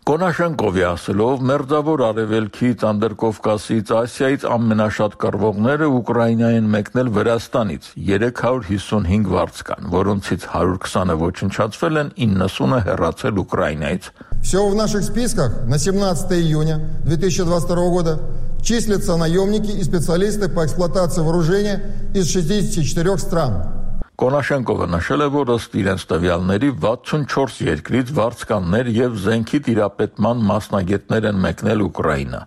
Կոնաշենկովի ասելով, մերձավոր արևելքից, Անդրկովկասից, Ասիայից ամենաշատ կռվողները Ուկրաինա են մեկնել Վրաստանից, երեք հարյուր հիսունհինգ վարձկան, որոնցից հարյուր քսանը ոչնչացվել են, իննսունը հեռացել Ուկրաինայից։ Всего в наших списках на семнадцатое июня две тысячи двадцать второго года числятся наемники и специалисты по эксплуатации вооружения из шестидесяти четырёх стран. Կոնաշենկովը նշել է, որ ըստ իրենց տվյալների վաթսունչորս երկրից վարձկաններ եւ զենքի տիրապետման մասնագետներ են մեկնել Ուկրաինա։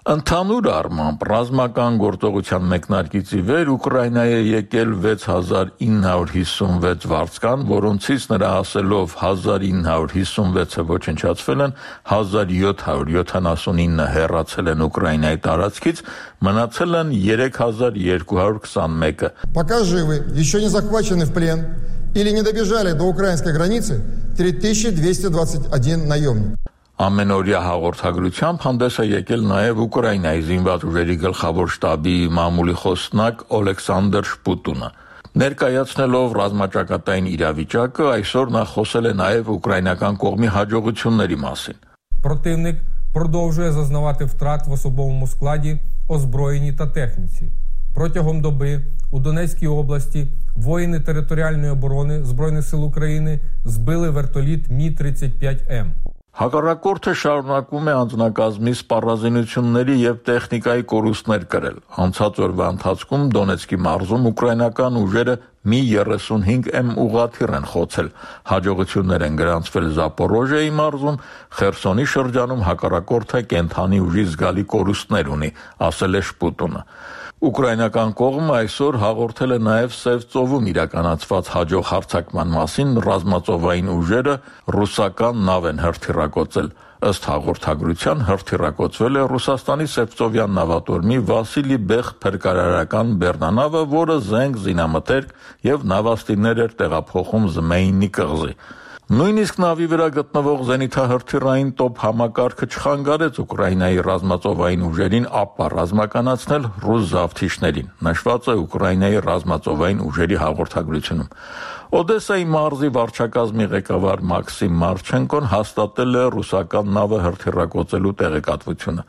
Ընդհանուր առմամբ ռազմական գործողության մեկնարկից ի վեր Ուկրաինայի է եկել վեց հազար ինը հարյուր հիսունվեց վարձկան, որոնցից նրա ասելով հազար ինը հարյուր հիսունվեցը ոչնչացվել են, հազար յոթ հարյուր յոթանասունինը հեռացել են Ուկրաինայի տարածքից, մնացել են երեք հազար երկու հարյուր քսանմեկը։ Пока живы, еще не захвачены в плен или не добежали до украинской границы три тысячи двести двадцать один наемник. Ամենօրյա հաղորդագրությամբ հանդես է եկել նաև Ուկրաինայի զինված ուժերի գլխավոր շտաբի մամուլի խոսնակ Օլեքսանդր Շպուտունը։ Ներկայացնելով ռազմաճակատային իրավիճակը, այսօր նա խոսել է նաև ուկրաինական կողմի հաջողությունների մասին։ Противник продовжує зазнавати втрат в особовому складі, озброєнні та техніці. Протягом доби у Донецькій області воїни територіальної оборони Збройних сил України збили вертоліт Мі тридцять п'ять М. Հակառակորդը շարունակում է անձնակազմի սպառազինությունների եւ տեխնիկայի կորուստներ կրել։ Անցած օրվա ընթացքում Դոնեցկի մարզում ուկրաինական ուժերը մի երեսունհինգ էմ ուղղաթիռ են խոցել։ Հաջողություններ են գրանցվել Զապորոժիայի մարզում, Խերսոնի շրջանում հակառակորդը կենթանի ուժի զգալի կորուստներ ունի, ասել է Շպուտունը։ Ուկրաինական կողմը այսօր հաղորդել է նաև Սև ծովում իրականացված հաջող հարձակման մասին, ռազմածովային ուժերը ռուսական նավ են հրթիռակոծել։ Ըստ հաղորդագրության հրթիռակոծվել է Ռուսաստանի Սևծովյան նավատորմի Վասիլի Բեխ փրկարարական բեռնանավը, որը զենք, զինամթերք եւ նավաստիներ էր տեղափոխում Զմեյնի կղզի։ Նույնիսկ նավի վրա գտնվող զենիթահրթիռային տոփ համակարգը չխանգարեց Ուկրաինայի ռազմածովային ուժերին ապա ռազմականացնել ռուս զավթիչներին, նշված է Ուկրաինայի ռազմածովային ուժերի հաղորդագրությունում։ Օդեսայի մարզի վարչակազմի ղեկավար Մաքսիմ Մարչենկոն հաստատել է ռուսական նավը հրթիռակոծելու տեղեկատվությունը։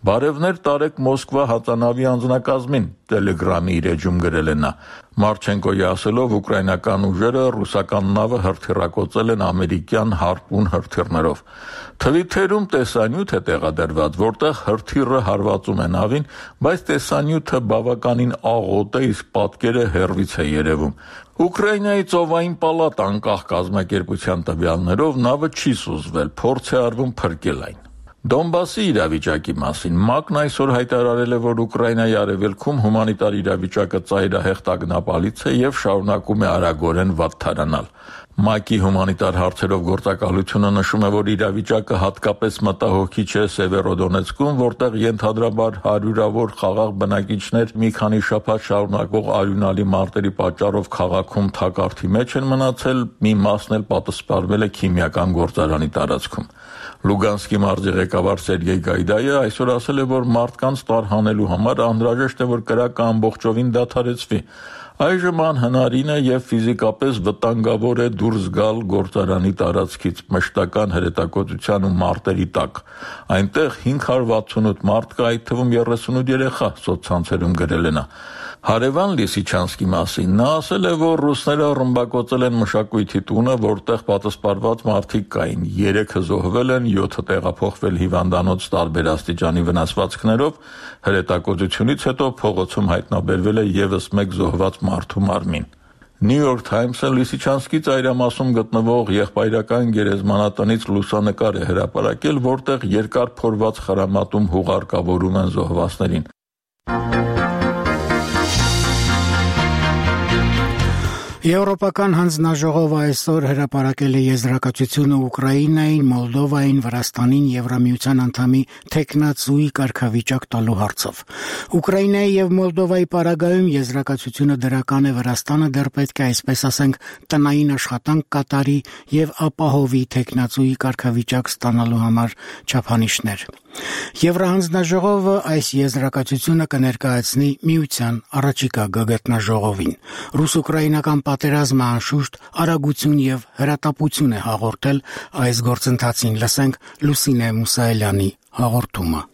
Բարևներ տարեք Մոսկվա հածանավի անձնակազմին, Տելեգրամի իր էջում գրել է նա։ Մարչենկոյի ասելով ուկրաինական ուժերը ռուսական նավը հրթիռակոծել են ամերիկյան հարպուն հրթիռներով։ Թվիթերում տեսանյութ է տեղադրված, որտեղ հրթիռը հարվածում է նավին, բայց տեսանյութը բավականին աղոտ է, իսկ պատկերը հեռվից է երևում։ Ուկրաինայի ծովային պալատ անկախ կազմակերպության տվյալներով նավը չի սուզվել, փորձ է արվում փրկել այն։ Դոնբասի իրավիճակի մասին ՄԱԿ-ն այսօր հայտարարել է, որ Ուկրաինայի արևելքում հումանիտար իրավիճակը ծայրահեղ տագնապալից է եւ շարունակում է արագորեն վատթարանալ։ ՄԱԿ-ի հումանիտար հարցերով գործակալությունը նշում է, որ իրավիճակը հատկապես մտահոգիչ է Սևերոդոնեցկում, որտեղ ենթադրաբար հարյուրավոր խաղաղ բնակիչներ մի քանի շաբաթ շարունակվող արյունալի մարտերի պատճառով քաղաքում թակարդի մեջ են մնացել, մի մասն էլ պատսպարվել է քիմիական գործարանի տարածքում։ Լուգանսկի մարզի ղեկավար Սերգեյ Գայդայը այսօր ասել է, որ մարդկանց տարհանելու համար անհրաժեշտ է, որ կրակը ամբողջովին դադարեցվի։ Այժմ անհնարին է եւ ֆիզիկապես վտանգավոր է դուրս գալ գործարանի տարածքից մշտական հրետակոծության ու մարտերի տակ։ Այնտեղ հինգ հարյուր վաթսունութ մարդ կա, այդ թվում երեսունութ երեխա, սոցցանցերում գրել է նա։ Հարևան Լիսիչանսկի մասին նա ասել է, որ ռուսները ռմբակոծել են մշակույթի տունը, որտեղ պատասպարված մարդիկ կային, երեքը զոհվել են, յոթը տեղափոխվել հիվանդանոց տարբեր աստիճանի վնասվածքներով, հրետակոծությունից հետո փողոցում հայտնաբերվել է եւս մեկ զոհված մարդու մարմին։ New York Times-ը Լիսիչանսկի ծայրամասում գտնվող եղբայրական գերեզմանատնից լուսանկար է հրապարակել, որտեղ երկար փորված խրամատում հուղարկավորում են զոհվածներին։ Եվրոպական հանձնաժողովը այսօր հրապարակել է եզրակացությունը Ուկրաինային, Մոլդովային, Վրաստանին, Եվրամիության անդամի թեկնածուի կարգավիճակ տալու հարցով։ Ուկրաինայի եւ Մոլդովայի պարագայում եզրակացությունը դրական է, Վրաստանը դեռ պետք է, այսպես ասենք, տնային աշխատանք կատարի եւ ապահովի թեկնածուի կարգավիճակ ստանալու համար չափանիշներ։ Եվրահանձնաժողովը այս եզրակացությունը կներկայացնի Միության առաջիկա գագաթնաժողովին։ Ռուս-ուկրաինական պատերազմը անշուշտ արագություն եւ հրատապություն է հաղորդել այս գործընթացին, լսենք Լուսինե Մուսայելյանի հաղորդումը։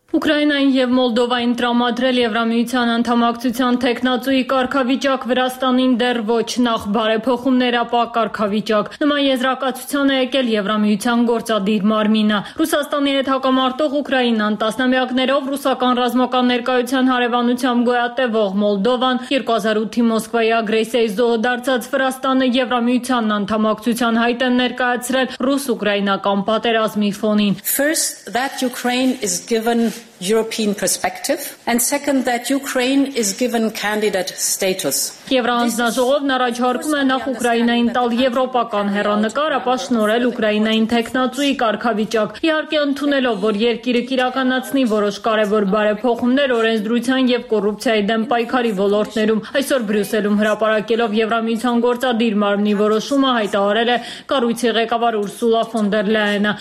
Ուկրաինային եւ Մոլդովային տրամադրել Եվրամիության անդամակցության թեկնածուի կարգավիճակ, Վրաստանին դեռ ոչ, նախ բարեփոխումներ, ապա կարգավիճակ։ Նման եզրակացության է եկել Եվրամիության գործադիր մարմինը։ Ռուսաստանի հետ հակամարտող Ուկրաինան, տասնամյակներով ռուսական ռազմական ներկայության հարևանությամբ գոյատևող Մոլդովան, երկու հազար ութի Մոսկվայի ագրեսիայի զոհ դարձած Վրաստանը Եվրամիության անդամակցության հայտ են ներկայացրել ռուս-ուկրաինական պատերազմի ֆոնին։ First, that Ukraine is given European perspective, and second, that Ukraine is given candidate status. Եվրահանձնաժողովն առաջարկում է նախ Ուկրաինային տալ եվրոպական հեռանկար, ապա շնորհել Ուկրաինային թեկնածուի կարգավիճակ, իհարկե ընդունելով, որ երկիրը կիրականացնի որոշ կարևոր բարեփոխումներ օրենսդրության եւ կոռուպցիայի դեմ պայքարի ոլորտներում։ Այսօր Բրյուսելում հրապարակելով Եվրամիության գործադիր մարմնի որոշումը հայտարարել է կառույցի ղեկավար Ուրսուլա ֆոն դեր Լայենը։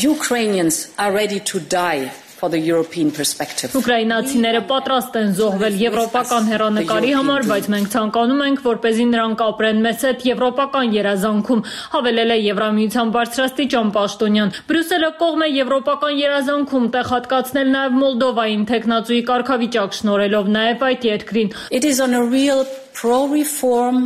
Ukrainians are ready to die for the European perspective. Ուկրաինացիները պատրաստ են զոհվել եվրոպական հեռանկարի համար, բայց մենք ցանկանում ենք, որպեսզի նրանք ապրեն մեզ հետ եվրոպական երազանքում, հավելել է Եվրամիության բարձրաստիճան պաշտոնյան։ Բրյուսելը կողմ է եվրոպական երազանքում տեղ հատկացնել նաև Մոլդովային թեկնածուի կարգավիճակ շնորհելով նաև այդ երկրին։ It is on a real pro-reform,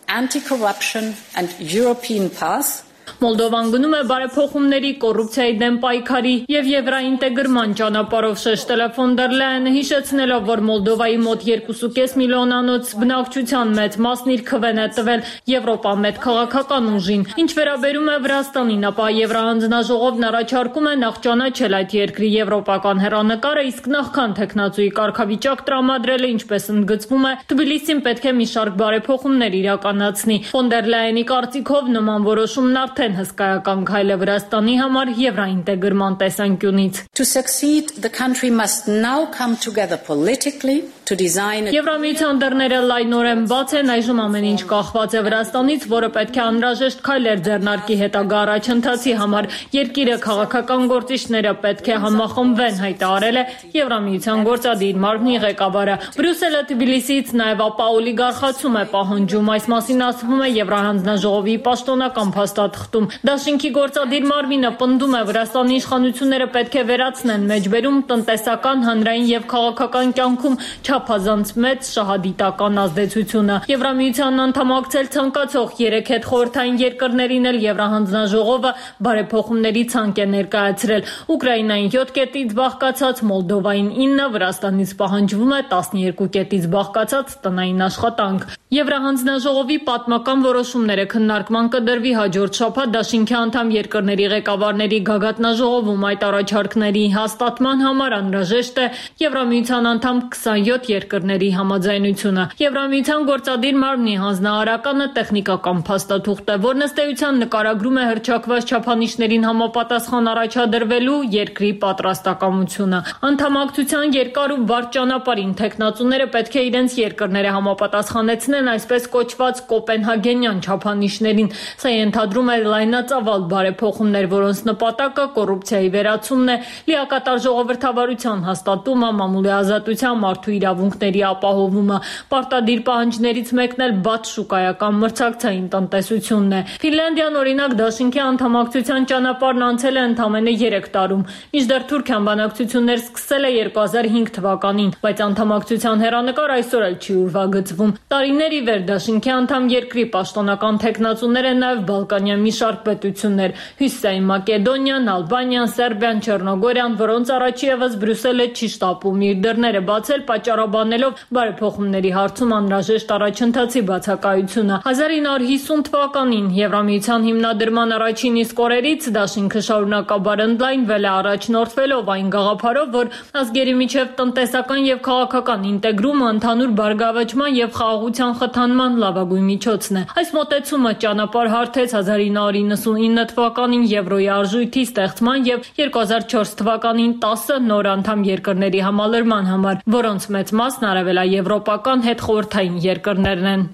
anti-corruption and European path. Մոլդովան գնում է բարեփոխումների, կոռուպցիայի դեմ պայքարի եւ եվրոինտեգրման ճանապարհով շեշտել է ֆոն դեր Լայենը, հիշեցնելով, որ Մոլդովայի մոտ երկու կողմից պինգ միլիոնանոց բնակչության մեծ մասն իր քվեն է տվել Եվրոպա մեծ քաղաքական ուժին։ Ինչ վերաբերում է Վրաստանին, ապա Եվրահանձնաժողովն առաջարկում է նախ ճանաչել այդ երկրի եվրոպական հեռանկարը, իսկ նախքան տեխնացուի կարգավիճակ տրամադրելը, ինչպես ընդգծվում է, Թբիլիսին պետք է մի շարք բարեփոխումներ իրականացնի։ Ֆոն դեր Լայենի կարծիքով նման որոշումն արդեն հսկայական քայլ է Վրաստանի համար եվրոինտեգրման տեսանկյունից։ To succeed, the country must now come together politically to design a... Եվրամիության դռները լայնորեն բաց են, այժմ ամեն ինչ կախված է Վրաստանից, որը պետք է անհրաժեշտ քայլեր ձեռնարկի հետագա առաջընթացի համար։ Երկիրը քաղաքական գործիչները պետք է համախմբվեն, հայտարարել է Եվրամիության գործադիր մարմնի ղեկավարը։ Բրյուսելը Թբիլիսիից նաև ապա օլիգարխացում է պահանջում, այս մասին ասվում է Եվրահանձնաժողովի պաշտոնական փաստաթղթում։ Դաշինքի գործադիր մարմինը պնդում է Վրաստանի իշխանությունները պետք է վերացնեն մեջբերում տնտեսական, հանրային եւ քաղաքական կյանքում չափազանց մեծ շահադիտական ազդեցությունը։ Եվրամիությանն անդամակցել ցանկացող երեք հետ խորհրդային երկրներին էլ Եվրահանձնաժողովը բարեփոխումների ցանկ է ներկայացրել։ Ուկրաինային յոթ կետից բաղկացած, Մոլդովային ինը, Վրաստանից պահանջվում է տասնյոթ կետից բաղկացած տնային աշխատանք։ Եվրահանձնաժողովի պատմական որոշումները քննարկման կդրվի հաջորդ շաբաթ դաշինքի անդամ երկրների ղեկավարների գագաթնաժողովում։ Այդ առաջարկների հաստատման համար անհրաժեշտ է Եվրամիության անդամ քսանյոթ երկրների համաձայնությունը։ Եվրամիության գործադիր մարմնի հանձնարարականը տեխնիկական փաստաթուղթ է, որն ըստ էության նկարագրում է հռչակված չափանիշներին համապատասխան առաջադրվելու երկրի պատրաստակամությունը։ Անդամակցության երկար ու բարդ ճանապարհին տեխնացուները պետք է իրենց երկրները համապատասխանեցնեն այսպես կոչված կոպենհագենյան չափանիշներին։ Սա ենթադրում է լայնածավալ բարեփոխումներ, որոնց նպատակը կոռուպցիայի վերացումն է, լիակատար ժողովրդավարության հաստատումը, մամուլի ազատության, մարդու իրավունքների ապահովումը։ Պարտադիր պահանջներից մեկն էլ բաց շուկայական մրցակցային տնտեսությունն է։ Ֆինլանդիան, օրինակ, դաշինքի անդամակցության ճանապարհն անցել է ընդամենը երեք տարում, մինչդեռ Թուրքիան բանակցություններ սկսել է երկու հազար հինգ թվականին, բայց անդամակցության հեռանկար այսօր էլ չի ուրվագծվում։ Տարիներ ի վեր դաշինքի անդամ երկրի պաշտոնական տեխնացուներ են նաև Բալկանյան մի շարք պետություններ՝ Հյուսիսային Մակեդոնիան, Ալբանիան, Սերբիան, Չեռնոգորիան, որոնց առաջիևս Բրյուսելը չի շտապում իր դռները բացել, պատճառաբանելով բարեփոխումների հարցում անհրաժեշտ առաջընթացի բացակայությունը։ հազար ինը հարյուր հիսուն թվականին Եվրամիության հիմնադրման առաջին իսկ օրերից դաշինքը շարունակաբար ընդլայնվել է, առաջնորդվելով այն գաղափարով, որ ազգերի միջև տնտեսական եւ քաղաքական ինտեգրումը ընդհանուր բարգավաճման եւ խաղաղության խթանման լավագույն միջոցն է։ Այս մոտեցումը ճանապարհ հարթեց հազար ինը հարյուր իննսունինը թվականին Եվրոյի արժույթի ստեղծման եւ երկու հազար չորս թվականին տասը նոր անդամ երկրների համալրման համար, որոնց մեծ մասն արևելաեվրոպական հետխորհրդային երկրներն են։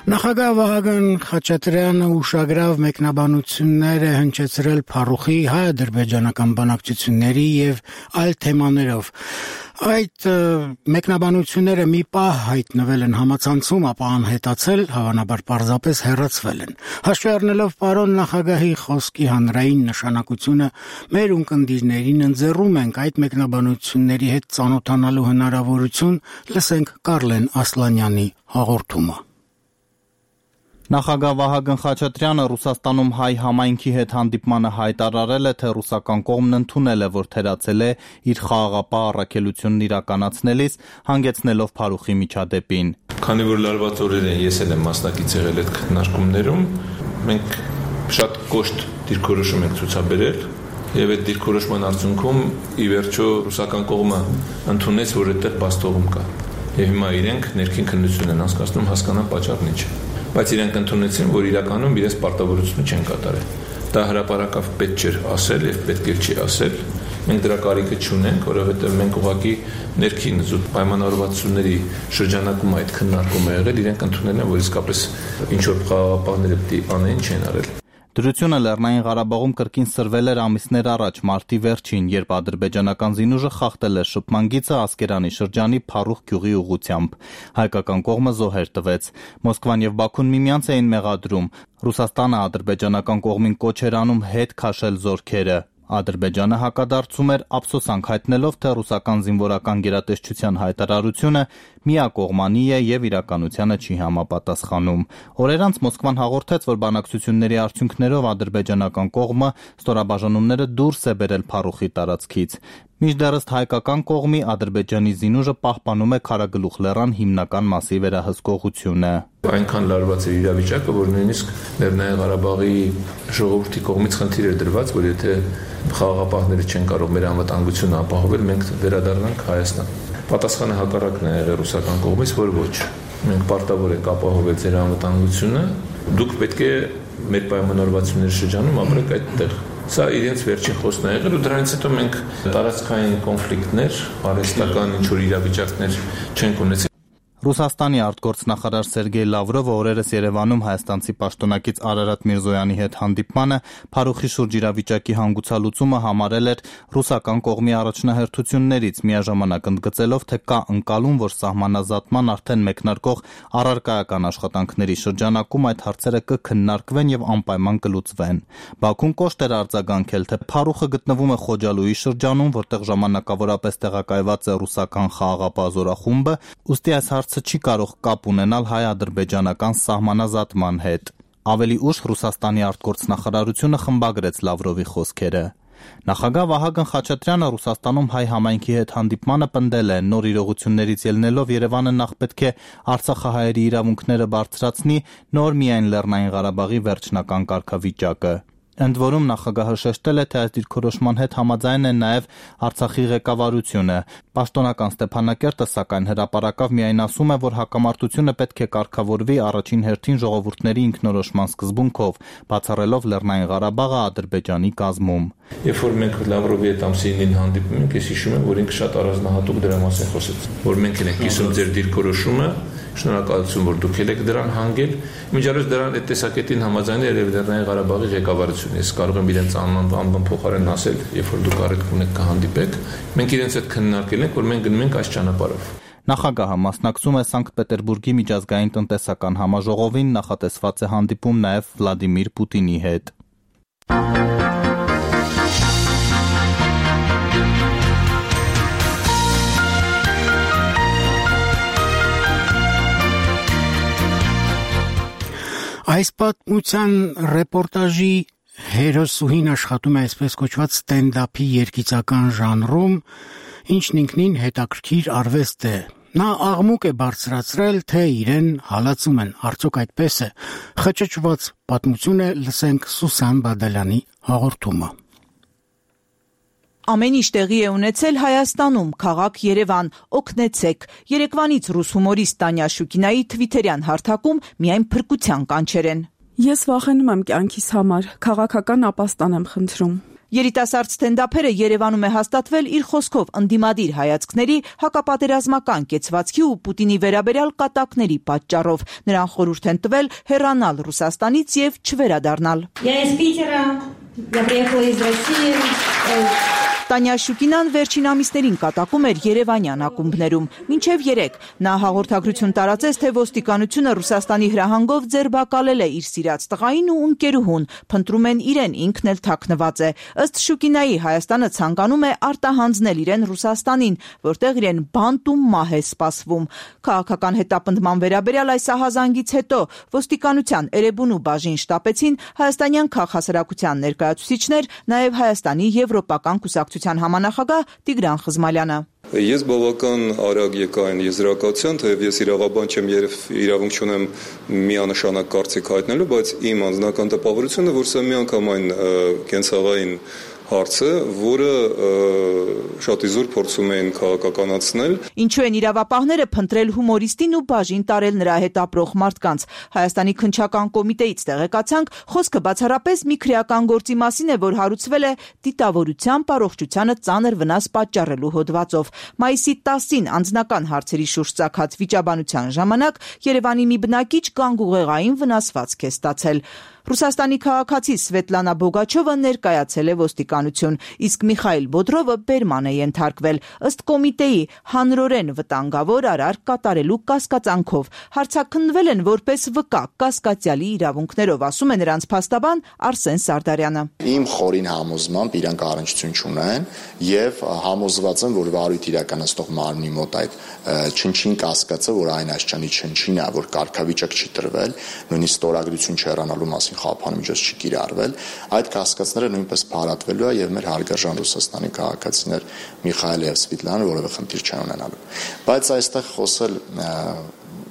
Նախագահ Վահագն Խաչատրյանը ուշագրավ մեկնաբանություններ է հնչեցրել Փարուխի հայ-ադրբեջանական բանակցությունների եւ այլ թեմաներով։ Այդ մեկնաբանությունները մի պահ հայտնվել են համացանցում, ապա անհետացել, հավանաբար պարզապես հեռացվել են։ Հաշվի առնելով պարոն նախագահի խոսքի հանրային նշանակությունը, մեր ունկնդիրներին ընձեռում ենք այդ մեկնաբանությունների հետ ծանոթանալու հնարավորություն, լսենք Կարլեն Ասլանյանի հաղորդումը։ Նախագահ Վահագն Խաչատրյանը Ռուսաստանում հայ համայնքի հետ հանդիպմանը հայտարարել է, թե ռուսական կողմն ընդունել է, որ թերացել է իր խաղաղապահ առաքելությունն իրականացնելիս, հանգեցնելով Փարուխի միջադեպին։ Քանի որ լարված օրեր են, ես էլ եմ մասնակից եղել այդ քննարկումներում, մենք շատ կոշտ դիրքորոշում ենք ցուցաբերել եւ այդ դիրքորոշման արդյունքում ի վերջո ռուսական կողմը ընդունեց, որ այդտեղ բաստողում կա։ Եվ հիմա իրենք ներքին քննություն են անցկացնում հասկանան պատճառն ինչ է։ Բայց իրենք ընդունեցին, որ իրականում իրենց պարտավորությունը չեն կատարել։ Դա հրապարակավ պետք չէր ասել եւ պետք էլ չի ասել։ Մենք դրա կարիքը չունենք, որովհետեւ մենք ուղղակի ներքին զուտ պայմանավորվածությունների շրջանակում այդ քննարկումը եղել, իրենք ընդունել են, որ իսկապես ինչ որ խաղաղապահները պետք է անեն, չեն արել։ Դրությունը Լեռնային Ղարաբաղում կրկին սրվել էր ամիսներ առաջ մարտի վերջին, երբ ադրբեջանական զինուժը խախտել էր շփման գիծը Ասկերանի շրջանի Փարուխ գյուղի ուղղությամբ։ Հայկական կողմը զոհեր տվեց։ Մոսկվան եւ Բաքուն միմյանց էին մեղադրում։ Ռուսաստանը ադրբեջանական կողմին կոչ էր անում հետ քաշել զորքերը։ Ադրբեջանը հակադարձում էր ափսոսանք հայտնելով, թե ռուսական զինվորական գերատեսչության հայտարարությունը միակողմանի է եւ իրականությանը չի համապատասխանում։ Օրեր անց Մոսկվան հաղորդեց, որ բանակցությունների արդյունքներով ադրբեջանական կողմը ստորաբաժանումները դուրս է բերել Փարուխի տարածքից։ Մինչդեռ ըստ հայկական կողմի Ադրբեջանի զինուժը պահպանում է Քարագլուխ լեռան հիմնական մասի վերահսկողությունը։ Այնքան լարված է իրավիճակը, որ նույնիսկ Լեռնային Ղարաբաղի ժողովրդի կողմից խնդիր է դրված, որ եթե խաղաղապահները չեն կարող մեր անվտանգությունը ապահովել, մենք վերադառնանք Հայաստան։ Պատասխանը հակառակն է եղել ռուսական կողմից, որ ոչ։ Մենք պարտավոր ենք ապահովել ձեր անվտանգությունը, դուք պետք է մեր պայմանավորվածությունների շրջանում ապրեք այդտեղ։ Սա իրենց վերջին խոսքն է եղել ու դրանից հետո մենք տարածքային կոնֆլիկտներ, արհեստական ինչ-որ իրավիճակներ չենք ունեցել։ Ռուսաստանի արտգործնախարար Սերգեյ Լավրովը օրերս Երևանում հայաստանցի պաշտոնակից Արարատ Միրզոյանի հետ հանդիպմանը Փարուխի շուրջ իրավիճակի հանգուցալուծումը համարել էր ռուսական կողմի առաջնահերթություններից, միաժամանակ ընդգծելով, թե կա ընկալում, որ սահմանազատման արդեն մեկնարկող առարկայական աշխատանքների շրջանակում այդ հարցերը կքննարկվեն եւ անպայման կլուծվեն։ Բաքուն կոշտ էր արձագանքել, թե Փարուխը գտնվում է Խոջալույի շրջանում, որտեղ ժամանակավորապես տեղակայված է ռուսական խաղաղապահ զորախումբը, ուստի այս հարցը չի կարող կապ ունենալ հայ-ադրբեջանական սահմանազատման հետ։ Ավելի ուշ Ռուսաստանի արտգործնախարարությունը խմբագրեց Լավրովի խոսքերը։ Նախագահ Վահագն Խաչատրյանը Ռուսաստանում հայ համայնքի հետ հանդիպմանը պնդել է, նոր իրողություններից ելնելով Երևանը նախ պետք է արցախահայերի իրավունքները բարձրացնի, նոր միայն Լեռնային Ղարաբաղի վերջնական կարգավիճակը։ Ընդ որում նախագահը շեշտել է, թե այս դիրքորոշման հետ համաձայն է նաև Արցախի ղեկավարությունը։ Պաշտոնական Ստեփանակերտը սակայն հրապարակավ միայն ասում է, որ հակամարտությունը պետք է կարգավորվի առաջին հերթին ժողովուրդների ինքնորոշման սկզբունքով, բացառելով Լեռնային Ղարաբաղը Ադրբեջանի կազմում։ Երբ որ մենք Լավրովի հետ ամսինին հանդիպում ենք, ես հիշում եմ, որ ինքը շատ առանձնահատուկ դրա մասին խոսեց, որ մենք ենք կիսում ձեր դիրքորոշումը, շնորհակալություն, որ դուք եք դրան հանգել։ Միջազգային դրան այդ տեսակետին համաձայն է երևի Լեռնային Ղարաբաղի ղեկավարությունը։ Ես կարող եմ իրենց անվան փոխարեն ասել, երբ որ դուք առիթ ունեք կհանդիպեք, մենք իրենց հետ քննարկել ենք, որ մենք գնում ենք այս ճանապարհով։ Նախագահը մասնակցում է Սանկտ Պետերբուրգի միջազգային տնտեսական համաժողովին, նախատեսված է հանդիպում նաև Վլադիմիր Պուտինի հետ։ Այս պատմության ռեպորտաժի հերոսուհին աշխատում է այսպես կոչված ստենդափի երգիծական ժանրում, ինչն ինքնին հետաքրքիր արվեստ է։ Նա աղմուկ է բարձրացրել, թե իրեն հալածում են, արդյոք այդպես է։ Խճճված պատմություն է, լսենք Սուսան Բադալյանի հաղորդումը։ Ամեն ինչ տեղի է ունեցել Հայաստանում, քաղաք Երևան, օգնեցեք։ Երեկվանից ռուս հումորիստ Տանյա Շուկինայի թվիթերյան հարթակում միայն փրկության կանչեր են։ Ես վախենում եմ կյանքիս համար, քաղաքական ապաստան եմ խնդրում։ Երիտասարդ ստենդափերը Երևանում է հաստատվել իր խոսքով ընդդիմադիր հայացքների, հակապատերազմական կեցվածքի ու Պուտինի վերաբերյալ կատակների պատճառով։ Նրան խորհուրդ են տվել հեռանալ Ռուսաստանից եւ չվերադառնալ։ Я из Питера, я приехала из России. Տանյա Շուկինան վերջին ամիսներին կատակում էր երևանյան ակումբներում։ Մինչև երեք նա հաղորդագրություն տարածեց, թե ոստիկանությունը Ռուսաստանի հրահանգով ձերբակալել է իր սիրած տղային ու ընկերուհուն, փնտրում են իրեն, ինքն էլ թաքնված է։ Ըստ Շուկինայի Հայաստանը ցանկանում է արտահանձնել իրեն Ռուսաստանին, որտեղ իրեն բանտ ու մահ է սպասվում։ Քաղաքական հետապնդման վերաբերյալ այս ահազանգից հետո ոստիկանության Էրեբունու բաժին շտապեցին հայաստանյան քաղաքասարակության ներկայացուցիչներ, նաև Հայաստանի եվրոպական կուսակցության համանախագահ Տիգրան Խզմալյանը։ Ես բավական արագ եկա այն եզրակացության, թեև ես իրավաբան չեմ եւ իրավունք չունեմ միանշանակ կարծիք հայտնելու, բայց իմ անձնական տպավորությունը, որ սա միանգամայն կենցաղային հարցը, որը շատ իզուր փորձում էին քաղաքականացնել։ Ինչու են իրավապահները փնտրել հումորիստին ու բաժին տարել նրա հետ ապրող մարդկանց։ Հայաստանի քննչական կոմիտեից տեղեկացանք, խոսքը բացառապես մի քրեական գործի մասին է, որ հարուցվել է դիտավորությամբ առողջությանը ծանր վնաս պատճառելու հոդվածով։ Մայիսի տասին անձնական հարցերի շուրջ ծագած վիճաբանության ժամանակ Երևանի մի բնակիչ գանգուղեղային վնասվածք է ստացել։ Ռուսաստանի քաղաքացի Սվետլանա Բոգաչովը ներկայացել է ոստիկանություն, իսկ Միխայել Բոդրովը բերման է ենթարկվել։ Ըստ կոմիտեի հանրորեն վտանգավոր արարք կատարելու կասկածանքով հարցաքննվել են որպես վկա կասկածյալի իրավունքներով, ասում է նրանց փաստաբան Արսեն Սարդարյանը։ Իմ խորին համոզմամբ իրանք առնչություն չունեն եւ համոզված եմ, որ վարույթ իրականացնող մարմնի մոտ այդ չնչին կասկածը, որ այն Աշճանի չնչին է, որ կարգավիճակ չի տրվել, նույնիսկ ստորագրություն չհեռանալու մասին խափան միջոց չի կիրառվել, այդ կասկածները նույնպես փարատվելու է եւ մեր հարգարժան Ռուսաստանի քաղաքացիներ Միխայել եւ Սվետլանը որևէ խնդիր չեն ունենալու։ Բայց այստեղ խոսել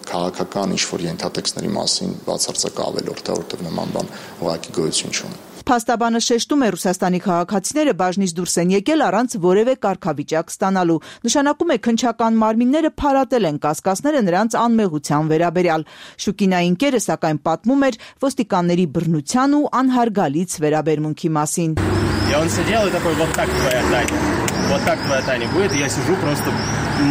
քաղաքական ինչ-որ ենթատեքստների մասին բացարձակ ավելորդ է, որտեղ նման բան ուղղակի գոյություն չունի։ Փաստաբանը շեշտում է Ռուսաստանի քաղաքացիները բաժնից դուրս են եկել առանց որևէ կարգավիճակ ստանալու։ Նշանակում է քննչական մարմինները փարատել են կասկածները նրանց անմեղության վերաբերյալ։ Շուկինայի ընկերը սակայն պատմում էր ոստիկանների բռնության ու անհարգալից վերաբերմունքի մասին։ И он сидел и такой, вот так твоя Таня, вот так твоя Таня будет, я сижу просто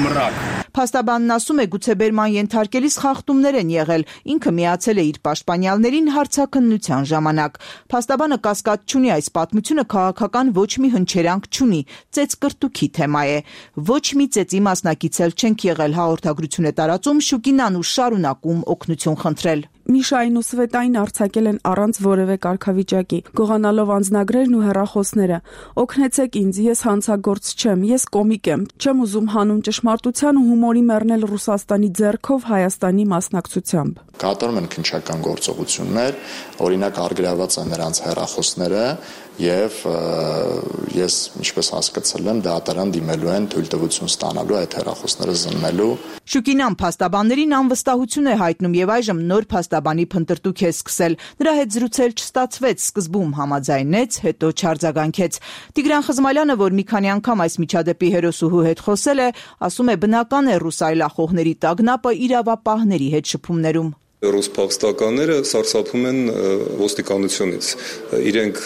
мрак. Փաստաբանն ասում է, գուցե բերման ենթարկելիս խախտումներ են եղել, ինքը միացել է իր պաշտպանյալներին հարցաքննության ժամանակ։ Փաստաբանը կասկած չունի, այս պատմությունը քաղաքական ոչ մի հնչերանք չունի, ծեծկրտուքի թեմա է։ Ոչ մի ծեծի մասնակից էլ չենք եղել, հաղորդագրություն է տարածում Շուկինան ու շարունակում օգնություն խնդրել։ Միշային ու Սվետային արձակել են առանց որևէ կարգավիճակի, գողանալով անձնագրերն ու հեռախոսները։ Օգնեցեք ինձ, ես հանցագործ չեմ, ես կոմիկ եմ, չեմ ուզում հանուն ճշմարտության ու հումորի մեռնել Ռուսաստանի ձեռքով Հայաստանի մասնակցությամբ։ Կատարում են քննչական գործողություններ, օրինակ առգրաված են նրանց հեռախոսները եւ ես ինչպես հասկացել եմ դատարան դիմելու են թույլտվություն ստանալու այդ հեռախոսները զննելու։ Շուկինան փաստաբաններին անվստահություն է հայտնում եւ այժմ նոր փաստաբանի փնտրտուք է սկսել։ Նրա հետ զրուցել չստացվեց, սկզբում համաձայնեց, հետո չարձագանքեց։ Տիգրան Խզմալյանը, որ մի քանի անգամ այս միջադեպի հերոսուհու հետ խոսել է, ասում է բնական է ռուս այլախոհների տագնապը իրավապահների հետ շփումներում։ Ռուս փախստականները սարսափում են ոստիկանությունից։ Իրենք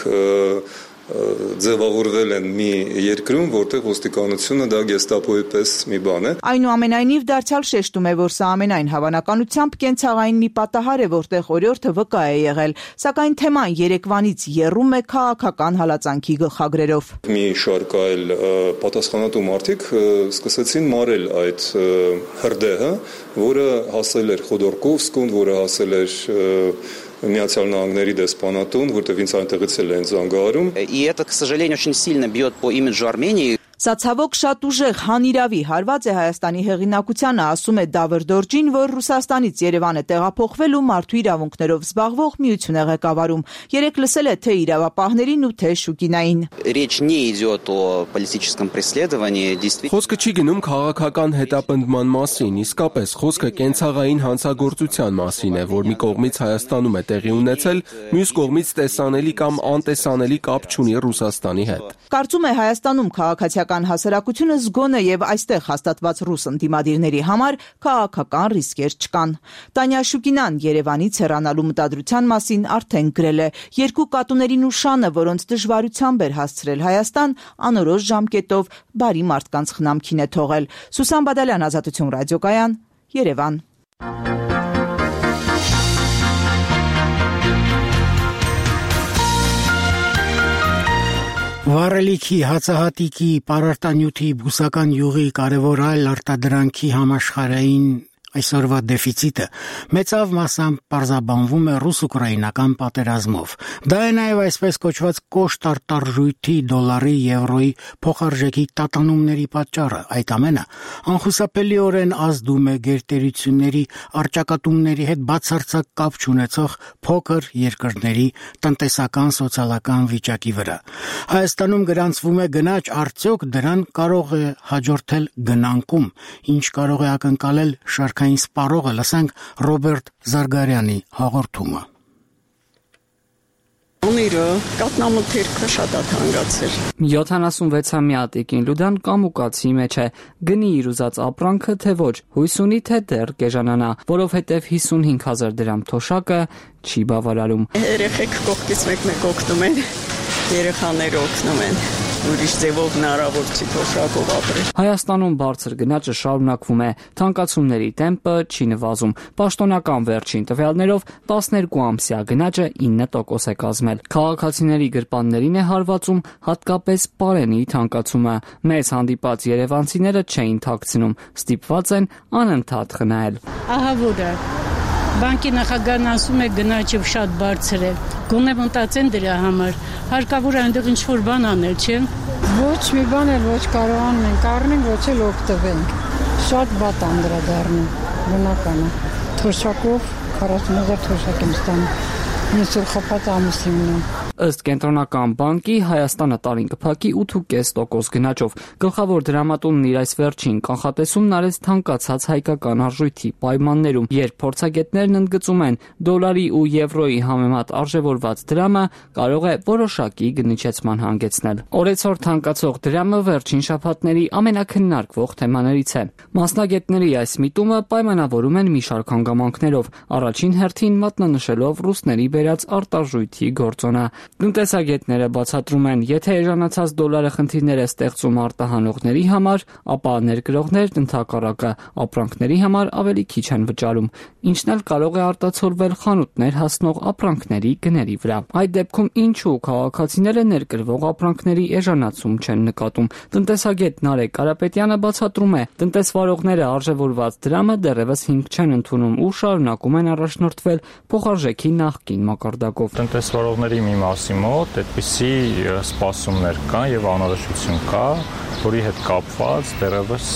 ձևավորվել են մի երկրում, որտեղ ոստիկանությունը դա գեստապոյի պես մի բան է։ Այնուամենայնիվ դարձյալ շեշտում է, որ սա ամենայն հավանականությամբ կենցաղային մի պատահար է, որտեղ օրիորդը վկա է եղել, սակայն թեման երեկվանից եռում է քաղաքական հալածանքի գլխագրերով։ Մի շարք այլ պատասխանատու մարդիկ սկսեցին մարել այդ հրդեհը, որը հասել էր Խոդորկովսկուն, որը հասել էր Միացյալ Նահանգների դեսպանատուն, որտեղ ինձ այնտեղից էլ են զանգահարում։ И это, к сожалению, очень сильно бьет по имиджу Армении. Սա ցավոք շատ ուժեղ հանիրավի հարված է Հայաստանի հեղինակությանը, ասում է Դավր Դորջին, որ Ռուսաստանից Երևան է տեղափոխվել ու մարդու իրավունքներով զբաղվող միություն է ղեկավարում։ Երեք լսել է թե իրավապահներին ու թե Շուկինային։ Речь не идет о политическом преследовании, действительно. Խոսքը չի գնում քաղաքական հետապնդման մասին, իսկապես խոսքը կենցաղային հանցագործության մասին է, որ մի կողմից Հայաստանում է տեղի ունեցել, մյուս կողմից տեսանելի կամ անտեսանելի կապ չունի Ռուսաստանի հետ։ Կարծում է Հայաստանում քաղաքացիական հասարակությունը զգոն է եւ այստեղ հաստատված ռուս ընդդիմադիրների համար քաղաքական ռիսկեր չկան։ Տանյա Շուկինան Երևանից հեռանալու մտադրության մասին արդեն գրել է. երկու կատուների նուշանը, որոնց դժվարությամբ էր հասցրել Հայաստան, անորոշ ժամկետով բարի մարդկանց խնամքին է թողել։ Սուսան Բադալյան, Ազատություն ռադիոկայան, Երևան։ Վառելիքի, հացահատիկի, պարարտանյութի, բուսական յուղի կարևոր այլ արտադրանքի համաշխարհային այսօրվա դեֆիցիտը մեծավ մասամբ պարզաբանվում է ռուս-ուկրաինական պատերազմով։ Դա է նաև այսպես կոչված կոշտ արտարժույթի, դոլարի, եվրոյի փոխարժեքի տատանումների պատճառը։ Այդ ամենը անխուսափելիորեն ազդում է գերտերությունների առճակատումների հետ բացարձակ կապ չունեցող փոքր երկրների տնտեսական սոցիալական վիճակի վրա։ Հայաստանում գրանցվում է գնաճ, արդյոք դրան կարող է հաջորդել գնանկում, ինչ կարող է ակնկալել շարքային սպառողը, լսենք Ռոբերտ Զարգարյանի հաղորդումը։ Անիրը կատնամթերքը շատ է թանկացել։ յոթանասունվեցամյա Տիկին Լյուդան կամուկացի մեջ է, գնի իր ուզած ապրանքը, թե ոչ, հույս ունի, թե դեռ կեժանանա, որովհետև հիսունհինգ հազար դրամ թոշակը չի բավարարում։ Երեխեք կողքից մեկ-մեկ օգնում են, երեխաները օգնում են, ուրիշ ձևով հնարավոր չի թոշակով ապրել։ Հայաստանում բարձր գնաճը շարունակվում է, թանկացումների տեմպը չի նվազում։ Պաշտոնական վերջին տվյալներով տասներկու ամսյա գնաճը ինը տոկոս է կազմել։ Քաղաքացիների գրպաններին է հարվածում հատկապես պարենի թանկացումը։ Մեզ հանդիպած երևանցիները չէին թաքցնում, ստիպված են անընդհատ խնայել։ Ահա որ է։ Բանկի նախագահն ասում է գնաճը շատ բարձր է։ Գոնե մտածեն դրա համար։ Հարկավոր է այնտեղ ինչ-որ բան անել, չէ՞։ Ոչ մի բան էլ ոչ կարողանում ենք առնենք, ոչ էլ օգտվենք։ Շատ վատ անդրադառնում, բնական է։ Թոշակով քառասուն հազար թոշակ եմ ստանում։ Ինձ էլ խփած ամուսին ունեմ։ Ըստ Կենտրոնական բանկի Հայաստանը տարին կփակի ութ կես տոկոս գնաճով։ Գլխավոր դրամատունն իր այս վերջին կանխատեսումն արեց թանկացած հայկական արժույթի պայմաններում, երբ փորձագետներն ընդգծում են դոլարի ու եվրոյի համեմատ արժևորված դրամը կարող է որոշակի գնիչեցման հանգեցնել։ Օրեցօր թանկացող դրամը վերջին շաբաթների ամենակննարկվող թեմաներից է։ Մասնագետների այս միտումը պայմանավորում են մի շարք հանգամանքներով, առաջին հերթին մատնանշելով ռուսների բերած արտարժույթի գործոնը։ Տնտեսագետները բացատրում են, եթե էժանացած դոլարը խնդիրներ է ստեղծում արտահանողների համար, ապա ներկրողներն ընդհակառակը ապրանքների համար ավելի քիչ են վճարում, ինչն էլ կարող է արտացոլվել խանութներ հասնող ապրանքների գների վրա։ Այդ դեպքում ինչու քաղաքացիները ներկրվող ապրանքների էժանացում չեն նկատում։ Տնտեսագետ Նարեկ Կարապետյանը բացատրում է, տնտեսվարողները արժևորված դրամը դեռևս հիմք չեն ընդունում ու շարունակում են առաջնորդվել փոխարժեքի նախկին մակարդակով։ Տնտեսվարողների մի մասի մոտ այդպիսի սպասումներ կան եւ անորոշություն կա, որի հետ կապված դեռևս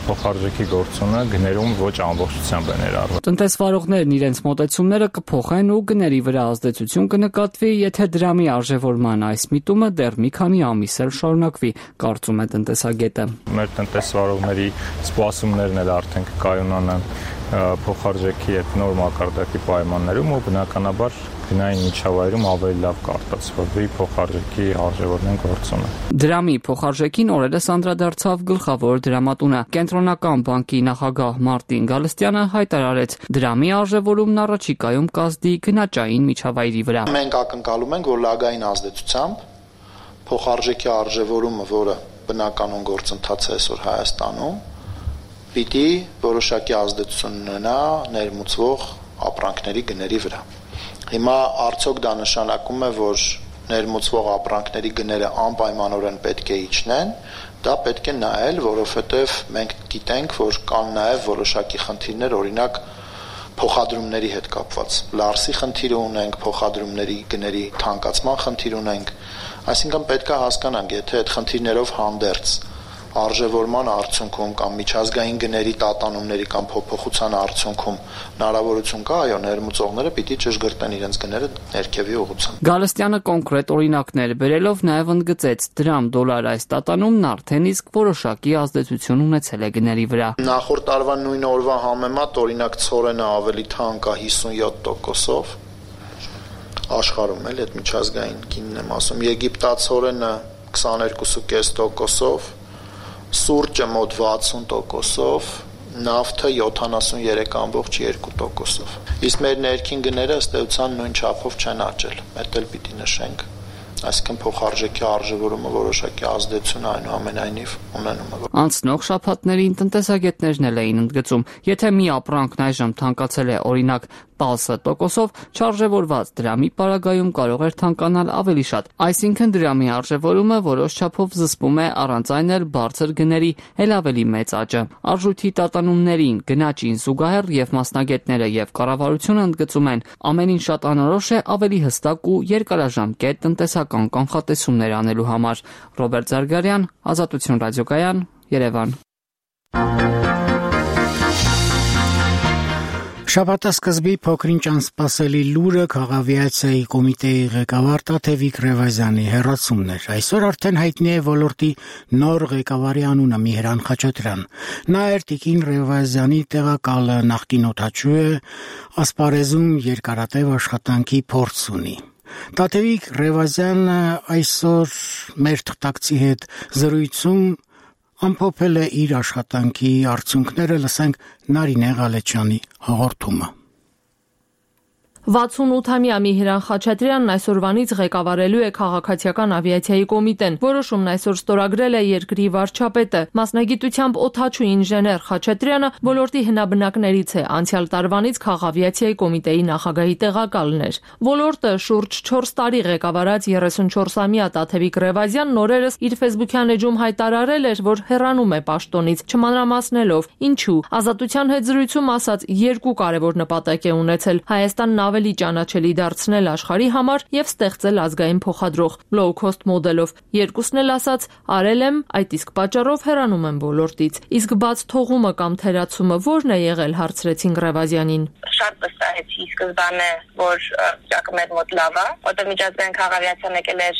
փոխարժեքի գործոնը գներում ոչ ամբողջությամբ է ներառվում։ Տնտեսվարողներն իրենց մոտեցումները կփոխեն ու գների վրա ազդեցություն կնկատվի, եթե դրամի արժևորման այս միտումը դեռ մի քանի ամիս էլ շարունակվի, կարծում է տնտեսագետը։ Մեր տնտեսվարողների սպասումներն էլ արդեն կկայունանան փոխարժեքի այդ նոր մակարդակի պայմաններում ու բնականաբար գնային միջավայրում ավելի լավ կարտացվի փոխարժեքի արժևորման գործոնը։ Դրամի փոխարժեքին օրերս անդրադարձավ գլխավոր դրամատունը։ Կենտրոնական բանկի նախագահ Մարտին Գալստյանը հայտարարեց, դրամի արժևորումն առաջիկայում կազդի գնաճային միջավայրի վրա։ Մենք ակնկալում ենք, որ լագային ազդեցությամբ փոխարժեքի արժևորումը, որը բնականon գործընթաց է այսօր Հայաստանում, պիտի որոշակի ազդեցություն ունենա ներմուծվող ապրանքների գների վրա։ Հիմա արդյոք դա նշանակում է, որ ներմուծվող ապրանքների գները անպայմանորեն պետք է իջնեն, դա պետք է նայել, որովհետև մենք գիտենք, որ կան նաև որոշակի խնդիրներ, օրինակ փոխադրումների հետ կապված։ Լարսի խնդիր ունենք, փոխադրումների գների թանկացման խնդիր ունենք, այսինքն պետք է հասկանանք, եթե այդ խնդիրներով հանդերձ արժևորման արդյունքում կամ միջազգային գների տատանումների կամ փոփոխության արդյունքում հնարավորություն կա, այո, ներմուծողները պիտի ճշգրտեն իրենց գները ներքևի ուղղությամբ։ Գալստյանը կոնկրետ օրինակներ բերելով նաև ընդգծեց, դրամ դոլար այս տատանումն արդեն իսկ որոշակի ազդեցություն ունեցել է գների վրա։ Նախորդ տարվա նույն օրվա համեմատ օրինակ ցորենը ավելի թանկ է հիսունյոթ տոկոսով աշխարհում էլ այդ միջազգային գինն եմ ասում, եգիպտացորենը քսաներկու կես տոկոսով, սուրճը մոտ վաթսուն տոկոսով, նավթը յոթանասունյոթ կόμμα երկու տոկոսով։ Իսկ մեր ներքին գները ըստ էության նույն չափով չեն աճել, դա էլ պիտի նշենք։ Այսինքն փոխարժեքի արժևորումը որոշակի ազդեցություն այնուամենայնիվ ունենում է։ Անցնող շաբաթներին տնտեսագետներն էլ էին ընդգծում, եթե մի ապրանքն այժմ թանկացել է օրինակ տասը տոկոսով, չարժևորված դրամի պարագայում կարող էր թանկանալ ավելի շատ։ Այսինքն դրամի արժևորումը որոշ չափով զսպում է առանց այն էլ բարձր գների էլ ավելի մեծ աճը։ Արժույթի տատանումներին, գնաճին զուգահեռ եւ մասնագետները եւ կառավարությունը ընդգծում են, ամենին շատ անորոշ է ավելի հստակ ու երկարաժամկետ տնտեսական կանխատեսումներ անելու համար։ Ռոբերտ Զարգարյան, Ազատություն ռադիոկայան, Երևան։ Շաբաթասկզբի փոքրինչ անսպասելի լուրը քաղավիացիայի կոմիտեի ղեկավար Տաթևիկ Ռևազյանի հեռացումն էր։ Այսօր արդեն հայտնի է ոլորտի նոր ղեկավարի անունը Միհրան Խաչատրյան։ Նա էր Տիկին Ռևազյանի տեղակալը, նախկին օդաչու է, ասպարեզում երկարատև աշխատանքի փորձ ունի։ Տաթևիկ Ռևազյանը այսօր մեր թղթակցի հետ զրույցում ամփոփել է իր աշխատանքի արդյունքները, լսենք Նարինե Ղալեչյանի հաղորդումը։ վաթսունութամյա Միհրան Խաչատրյանն այսօրվանից ղեկավարելու է քաղաքացիական ավիացիայի կոմիտեն։ Որոշումն այսօր ստորագրել է երկրի վարչապետը։ Մասնագիտությամբ օդաչու ինժեներ Խաչատրյանը ոլորտի հնաբնակներից է, անցյալ տարվանից քաղավիացիայի կոմիտեի նախագահի տեղակալն էր։ Ոլորտը շուրջ չորս տարի ղեկավարած երեսունչորսամյա Տաթևիկ Ռևազյանն օրերս իր ֆեյսբուքյան էջում հայտարարել էր, որ հեռանում է պաշտոնից, չմանրամասնելով ինչու։ Ազատության հետ զրույցում ասաց, երկու կարևոր նպատակ է ունեցել Հայաստանն ավելի ճանաչելի դարձնել աշխարհի համար եւ ստեղծել ազգային փոխադրող low cost մոդելով։ Երկուսն էլ ասաց, արել եմ, այդ իսկ պատճառով հեռանում եմ ոլորտից։ Իսկ բաց թողումը կամ թերացումը ո՞րն է եղել, հարցրեցին Ռևազյանին։ Շատ վստահեցի սկզբանե, որ ճակը մեր մոտ լավ է, որտեղ միջազգային քաղաքավիացիան եկել էր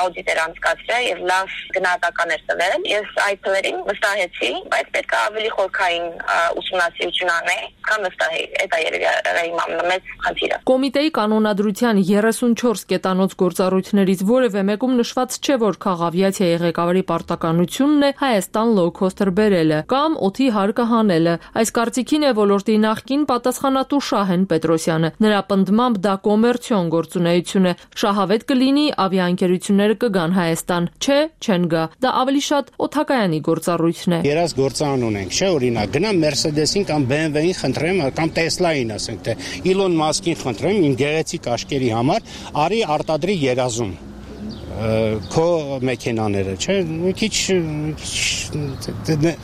աուդիտեր անցկացրել եւ լավ գնահատական էր տվել։ Ես այդ թվերին վստահեցի, բայց պետք է ավելի խորքային ուսումնասիրություն անել, քան վստահի։ Դա երևի իմ ամենամեծ խնդիրը։ Կոմիտեի կանոնադրության երեսունչորս կետանոց գործառույթներից որևէ մեկում նշված չէ, որ քաղավիացիայի ղեկավարի պարտականությունն է Հայաստան լոw-քոստեր բերելը կամ օդի հարկը հանելը։ Այս կարծիքին է ոլորտի նախկին պատասխանատու Շահեն Պետրոսյանը։ Նրա պնդմամբ դա կոմերցիոն գործունեություն է։ Շահավետ կլինի ավիաընկերությունները կգան Հայաստան։ Չէ, չեն գա։ Դա ավելի շատ օդակայանի գործառույթն է։ Երաս գործանուն ենք, չէ, օրինակ գնամ Mercedes-ին կամ B M W-ին խնդրեմ, կամ Tesla-ին ասենք, թե Elon Musk-ին խնդրեմ իմ գեղեցիկ աշկերի համար արի արտադրի երազում քո մեքենաները, չէ, մի քիչ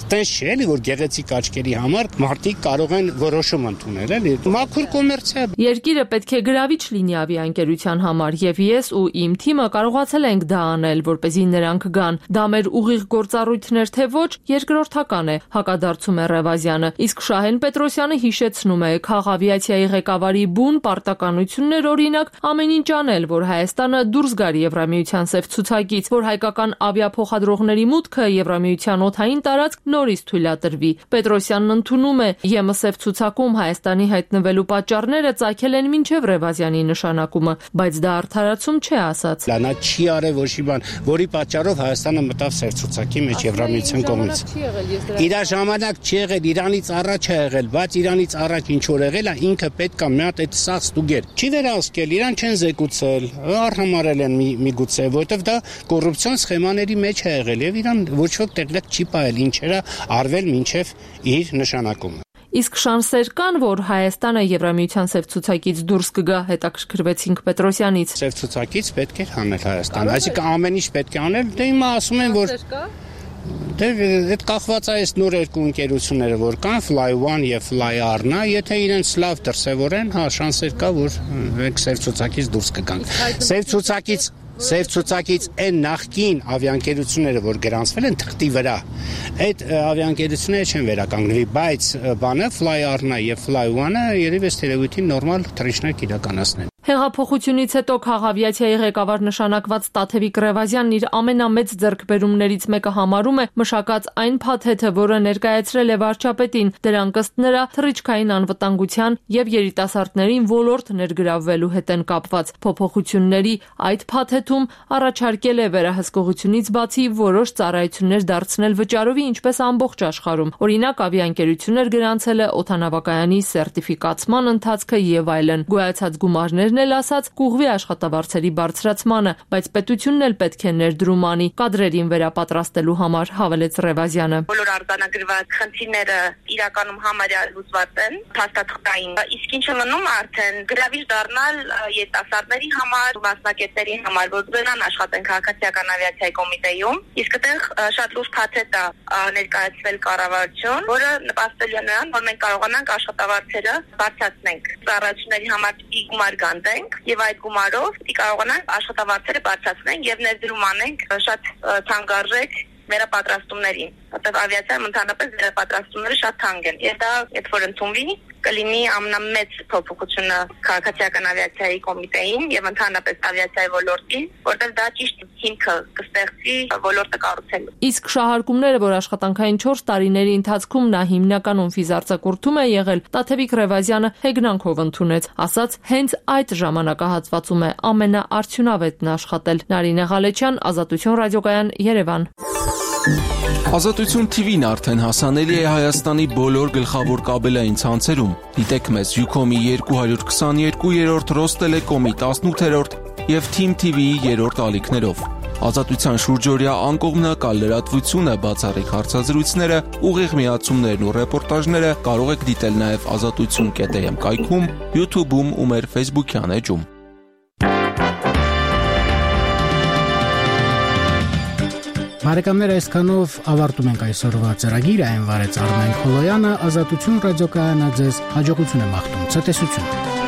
տես չէ, էլի որ գեղեցիկ աչքերի համար մարդիկ կարող են որոշում ընդունել, էլի մաքուր կոմերցիա։ Երկիրը պետք է գրավիչ լինի ավիաընկերության համար եւ ես ու իմ թիմը կարողացել ենք դա անել, որպեսզի նրանք գան։ Դա մեր ուղիղ գործառույթներ թե ոչ, երկրորդական է, հակադարձում է Ռևազյանը։ Իսկ Շահեն Պետրոսյանը հիշեցնում է քաղավիացիայի ղեկավարի բուն պարտականություններ, օրինակ ամեն ինչ անել, որ Հայաստանը դուրս գար Եվրամիության սև ցուցակից, որ հայկական ավիափոխադրողների մուտքը Եվրամիության օդային տարածք նորից թույլատրվի։ Պետրոսյանն ընդունում է, ԵՄ սև ցուցակում Հայաստանի հայտնվելու պատճառները ծագել են մինչև Ռևազյանի նշանակումը, բայց դա արդարացում չէ, ասաց։ Նա չի արել ոչ մի բան, որի պատճառով Հայաստանը մտավ սև ցուցակի մեջ Եվրամիության կողմից։ Իր ժամանակ չի եղել, Իրանից առաջ է եղել, բայց Իրանից առաջ ինչ որ եղել է, ինքը պետք է մի հատ այդ սաղ ստուգեր։ Չի վերահսկել, իրան չեն զեկուցել, արհամարել են միգուցե, որտեվ դա կոռուպցիոն սխեմաների մեջ է եղել եւ իրան ոչ ոք տեղյակ չի ողել ինչերա արվել մինչեւ իր նշանակումը։ Իսկ շանսեր կան, որ Հայաստանը Եվրամիության սև ցուցակից դուրս կգա, հետաքրքրվեցինք Պետրոսյանից։ Սև ցուցակից պետք է հանել Հայաստան, այսինքն ամեն ինչ պետք է անել, դե հիմա ասում են, որ դե այդ կախված է այս նոր երկու ընկերությունները, որ կան Fly One եւ Fly Arna, եթե իրենց լավ դրսևորեն, հա շանսեր կա, որ մենք սև ցուցակից դուրս կգանք։ Սև ցուցակից Սև ցուցակից այն նախկին ավիաընկերությունները, որ գրանցվել են թղթի վրա, այդ ավիաընկերությունները չեն վերականգնվի, բայց բանը Fly Arna եւ Fly One-ը երևի ըստ երևույթին նորմալ թռիչքներ իրականացնեն։ Հեղափոխությունից հետո քաղավիացիայի ղեկավար նշանակված Տաթևիկ Ռևազյանն իր ամենամեծ ձեռքբերումներից մեկը համարում է մշակած այն փաթեթը, որը ներկայացրել է վարչապետին, դրանք ըստ նրա թռիչքային անվտանգության եւ երիտասարդներին ոլորտ ներգրավվելու հետ են կապված։ Փոփոխությունների այդ փաթեթում առաջարկել է վերահսկողությունից բացի որոշ ծառայություններ դարձնել վճարովի, ինչպես ամբողջ աշխարհում։ Օրինակ ավիաընկերություններ գրանցել է օդանավակայանի սերտիֆիկացման ընթացքը եւ այլն։ Գոյացած գումարներն էլ ասած կուղվի աշխատավարձերի բարձրացմանը, բայց պետությունն էլ պետք է ներդրում անի կադրերին վերապատրաստելու համար, հավելեց Ռևազյանը։ Բոլոր արձանագրված խնդիրները իրականում համարյա լուծված են, փաստաթղթային, իսկ ինչը մնում արդեն գրավիչ դառնալ երիտասարդների համար, մասնակիցների համար, որ գնան աշխատեն քաղաքացիական ավիացիայի կոմիտեում, իսկ այդտեղ շատ լուրջ փաթեթ է ներկայացվել կառավարություն, որը նպաստել է նրան, որ մենք կարողանանք աշխատավարձերը բարձրացնենք։ Ծառայությունների համար գումար գանտենք եւ այդ գումարով պիտի կարողանանք աշխատավարձերը բարձրացնենք եւ ներդրում անենք շատ թանկարժեք վերապատրաստումներին, որտեղ ավիացիայում ընդհանրապես վերապատրաստումները շատ թանկ են։ Եվ դա, երբ որ ընդունվի, կլինի ամենամեծ փոփոխությունը քաղաքացիական ավիացիայի կոմիտեին եւ ընդհանրապես ավիացիայի ոլորտին, որտեղ դա ճիշտ հիմքը կստեղծի ոլորտը կառուցելու։ Իսկ շահարկումները, որ աշխատանքային չորս տարիների ընթացքում նա հիմնականում ֆիզարձակուրդում է եղել, Տաթևիկ Ռևազյանը հեգնանքով ընդունեց, ասաց, հենց այդ ժամանակահատվածում է ամենաարդյունավետն աշխատել։ Նարինե Ղալեչյան, Ազատություն ռադիոկայան, Երևան։ Ազատություն Թի Վին արդեն հասանելի է Հայաստանի բոլոր գլխավոր կաբելային ցանցերում։ Դիտեք մեզ Յուքոմի երկու քսաներկու, Ռոստելեկոմի տասնութ եւ Թիմ Թի Վիի երրորդ ալիքներով։ Ազատության շուրջօրյա անկողմնակալ լրատվությունը, բացառիկ հարցազրույցները, ուղիղ միացումներն ու ռեպորտաժները կարող եք դիտել նաեւ ազատություն կետ էմ կայքում, YouTube-ում ու մեր Facebook-յան էջում։ Բարեկամներ, այսքանով ավարտում ենք այսօրվա ծրագիրը, այն վարեց Արմեն Խոլոյանը, Ազատություն ռադիոկայանը ձեզ հաջողություն է մաղթում, ցտեսություն։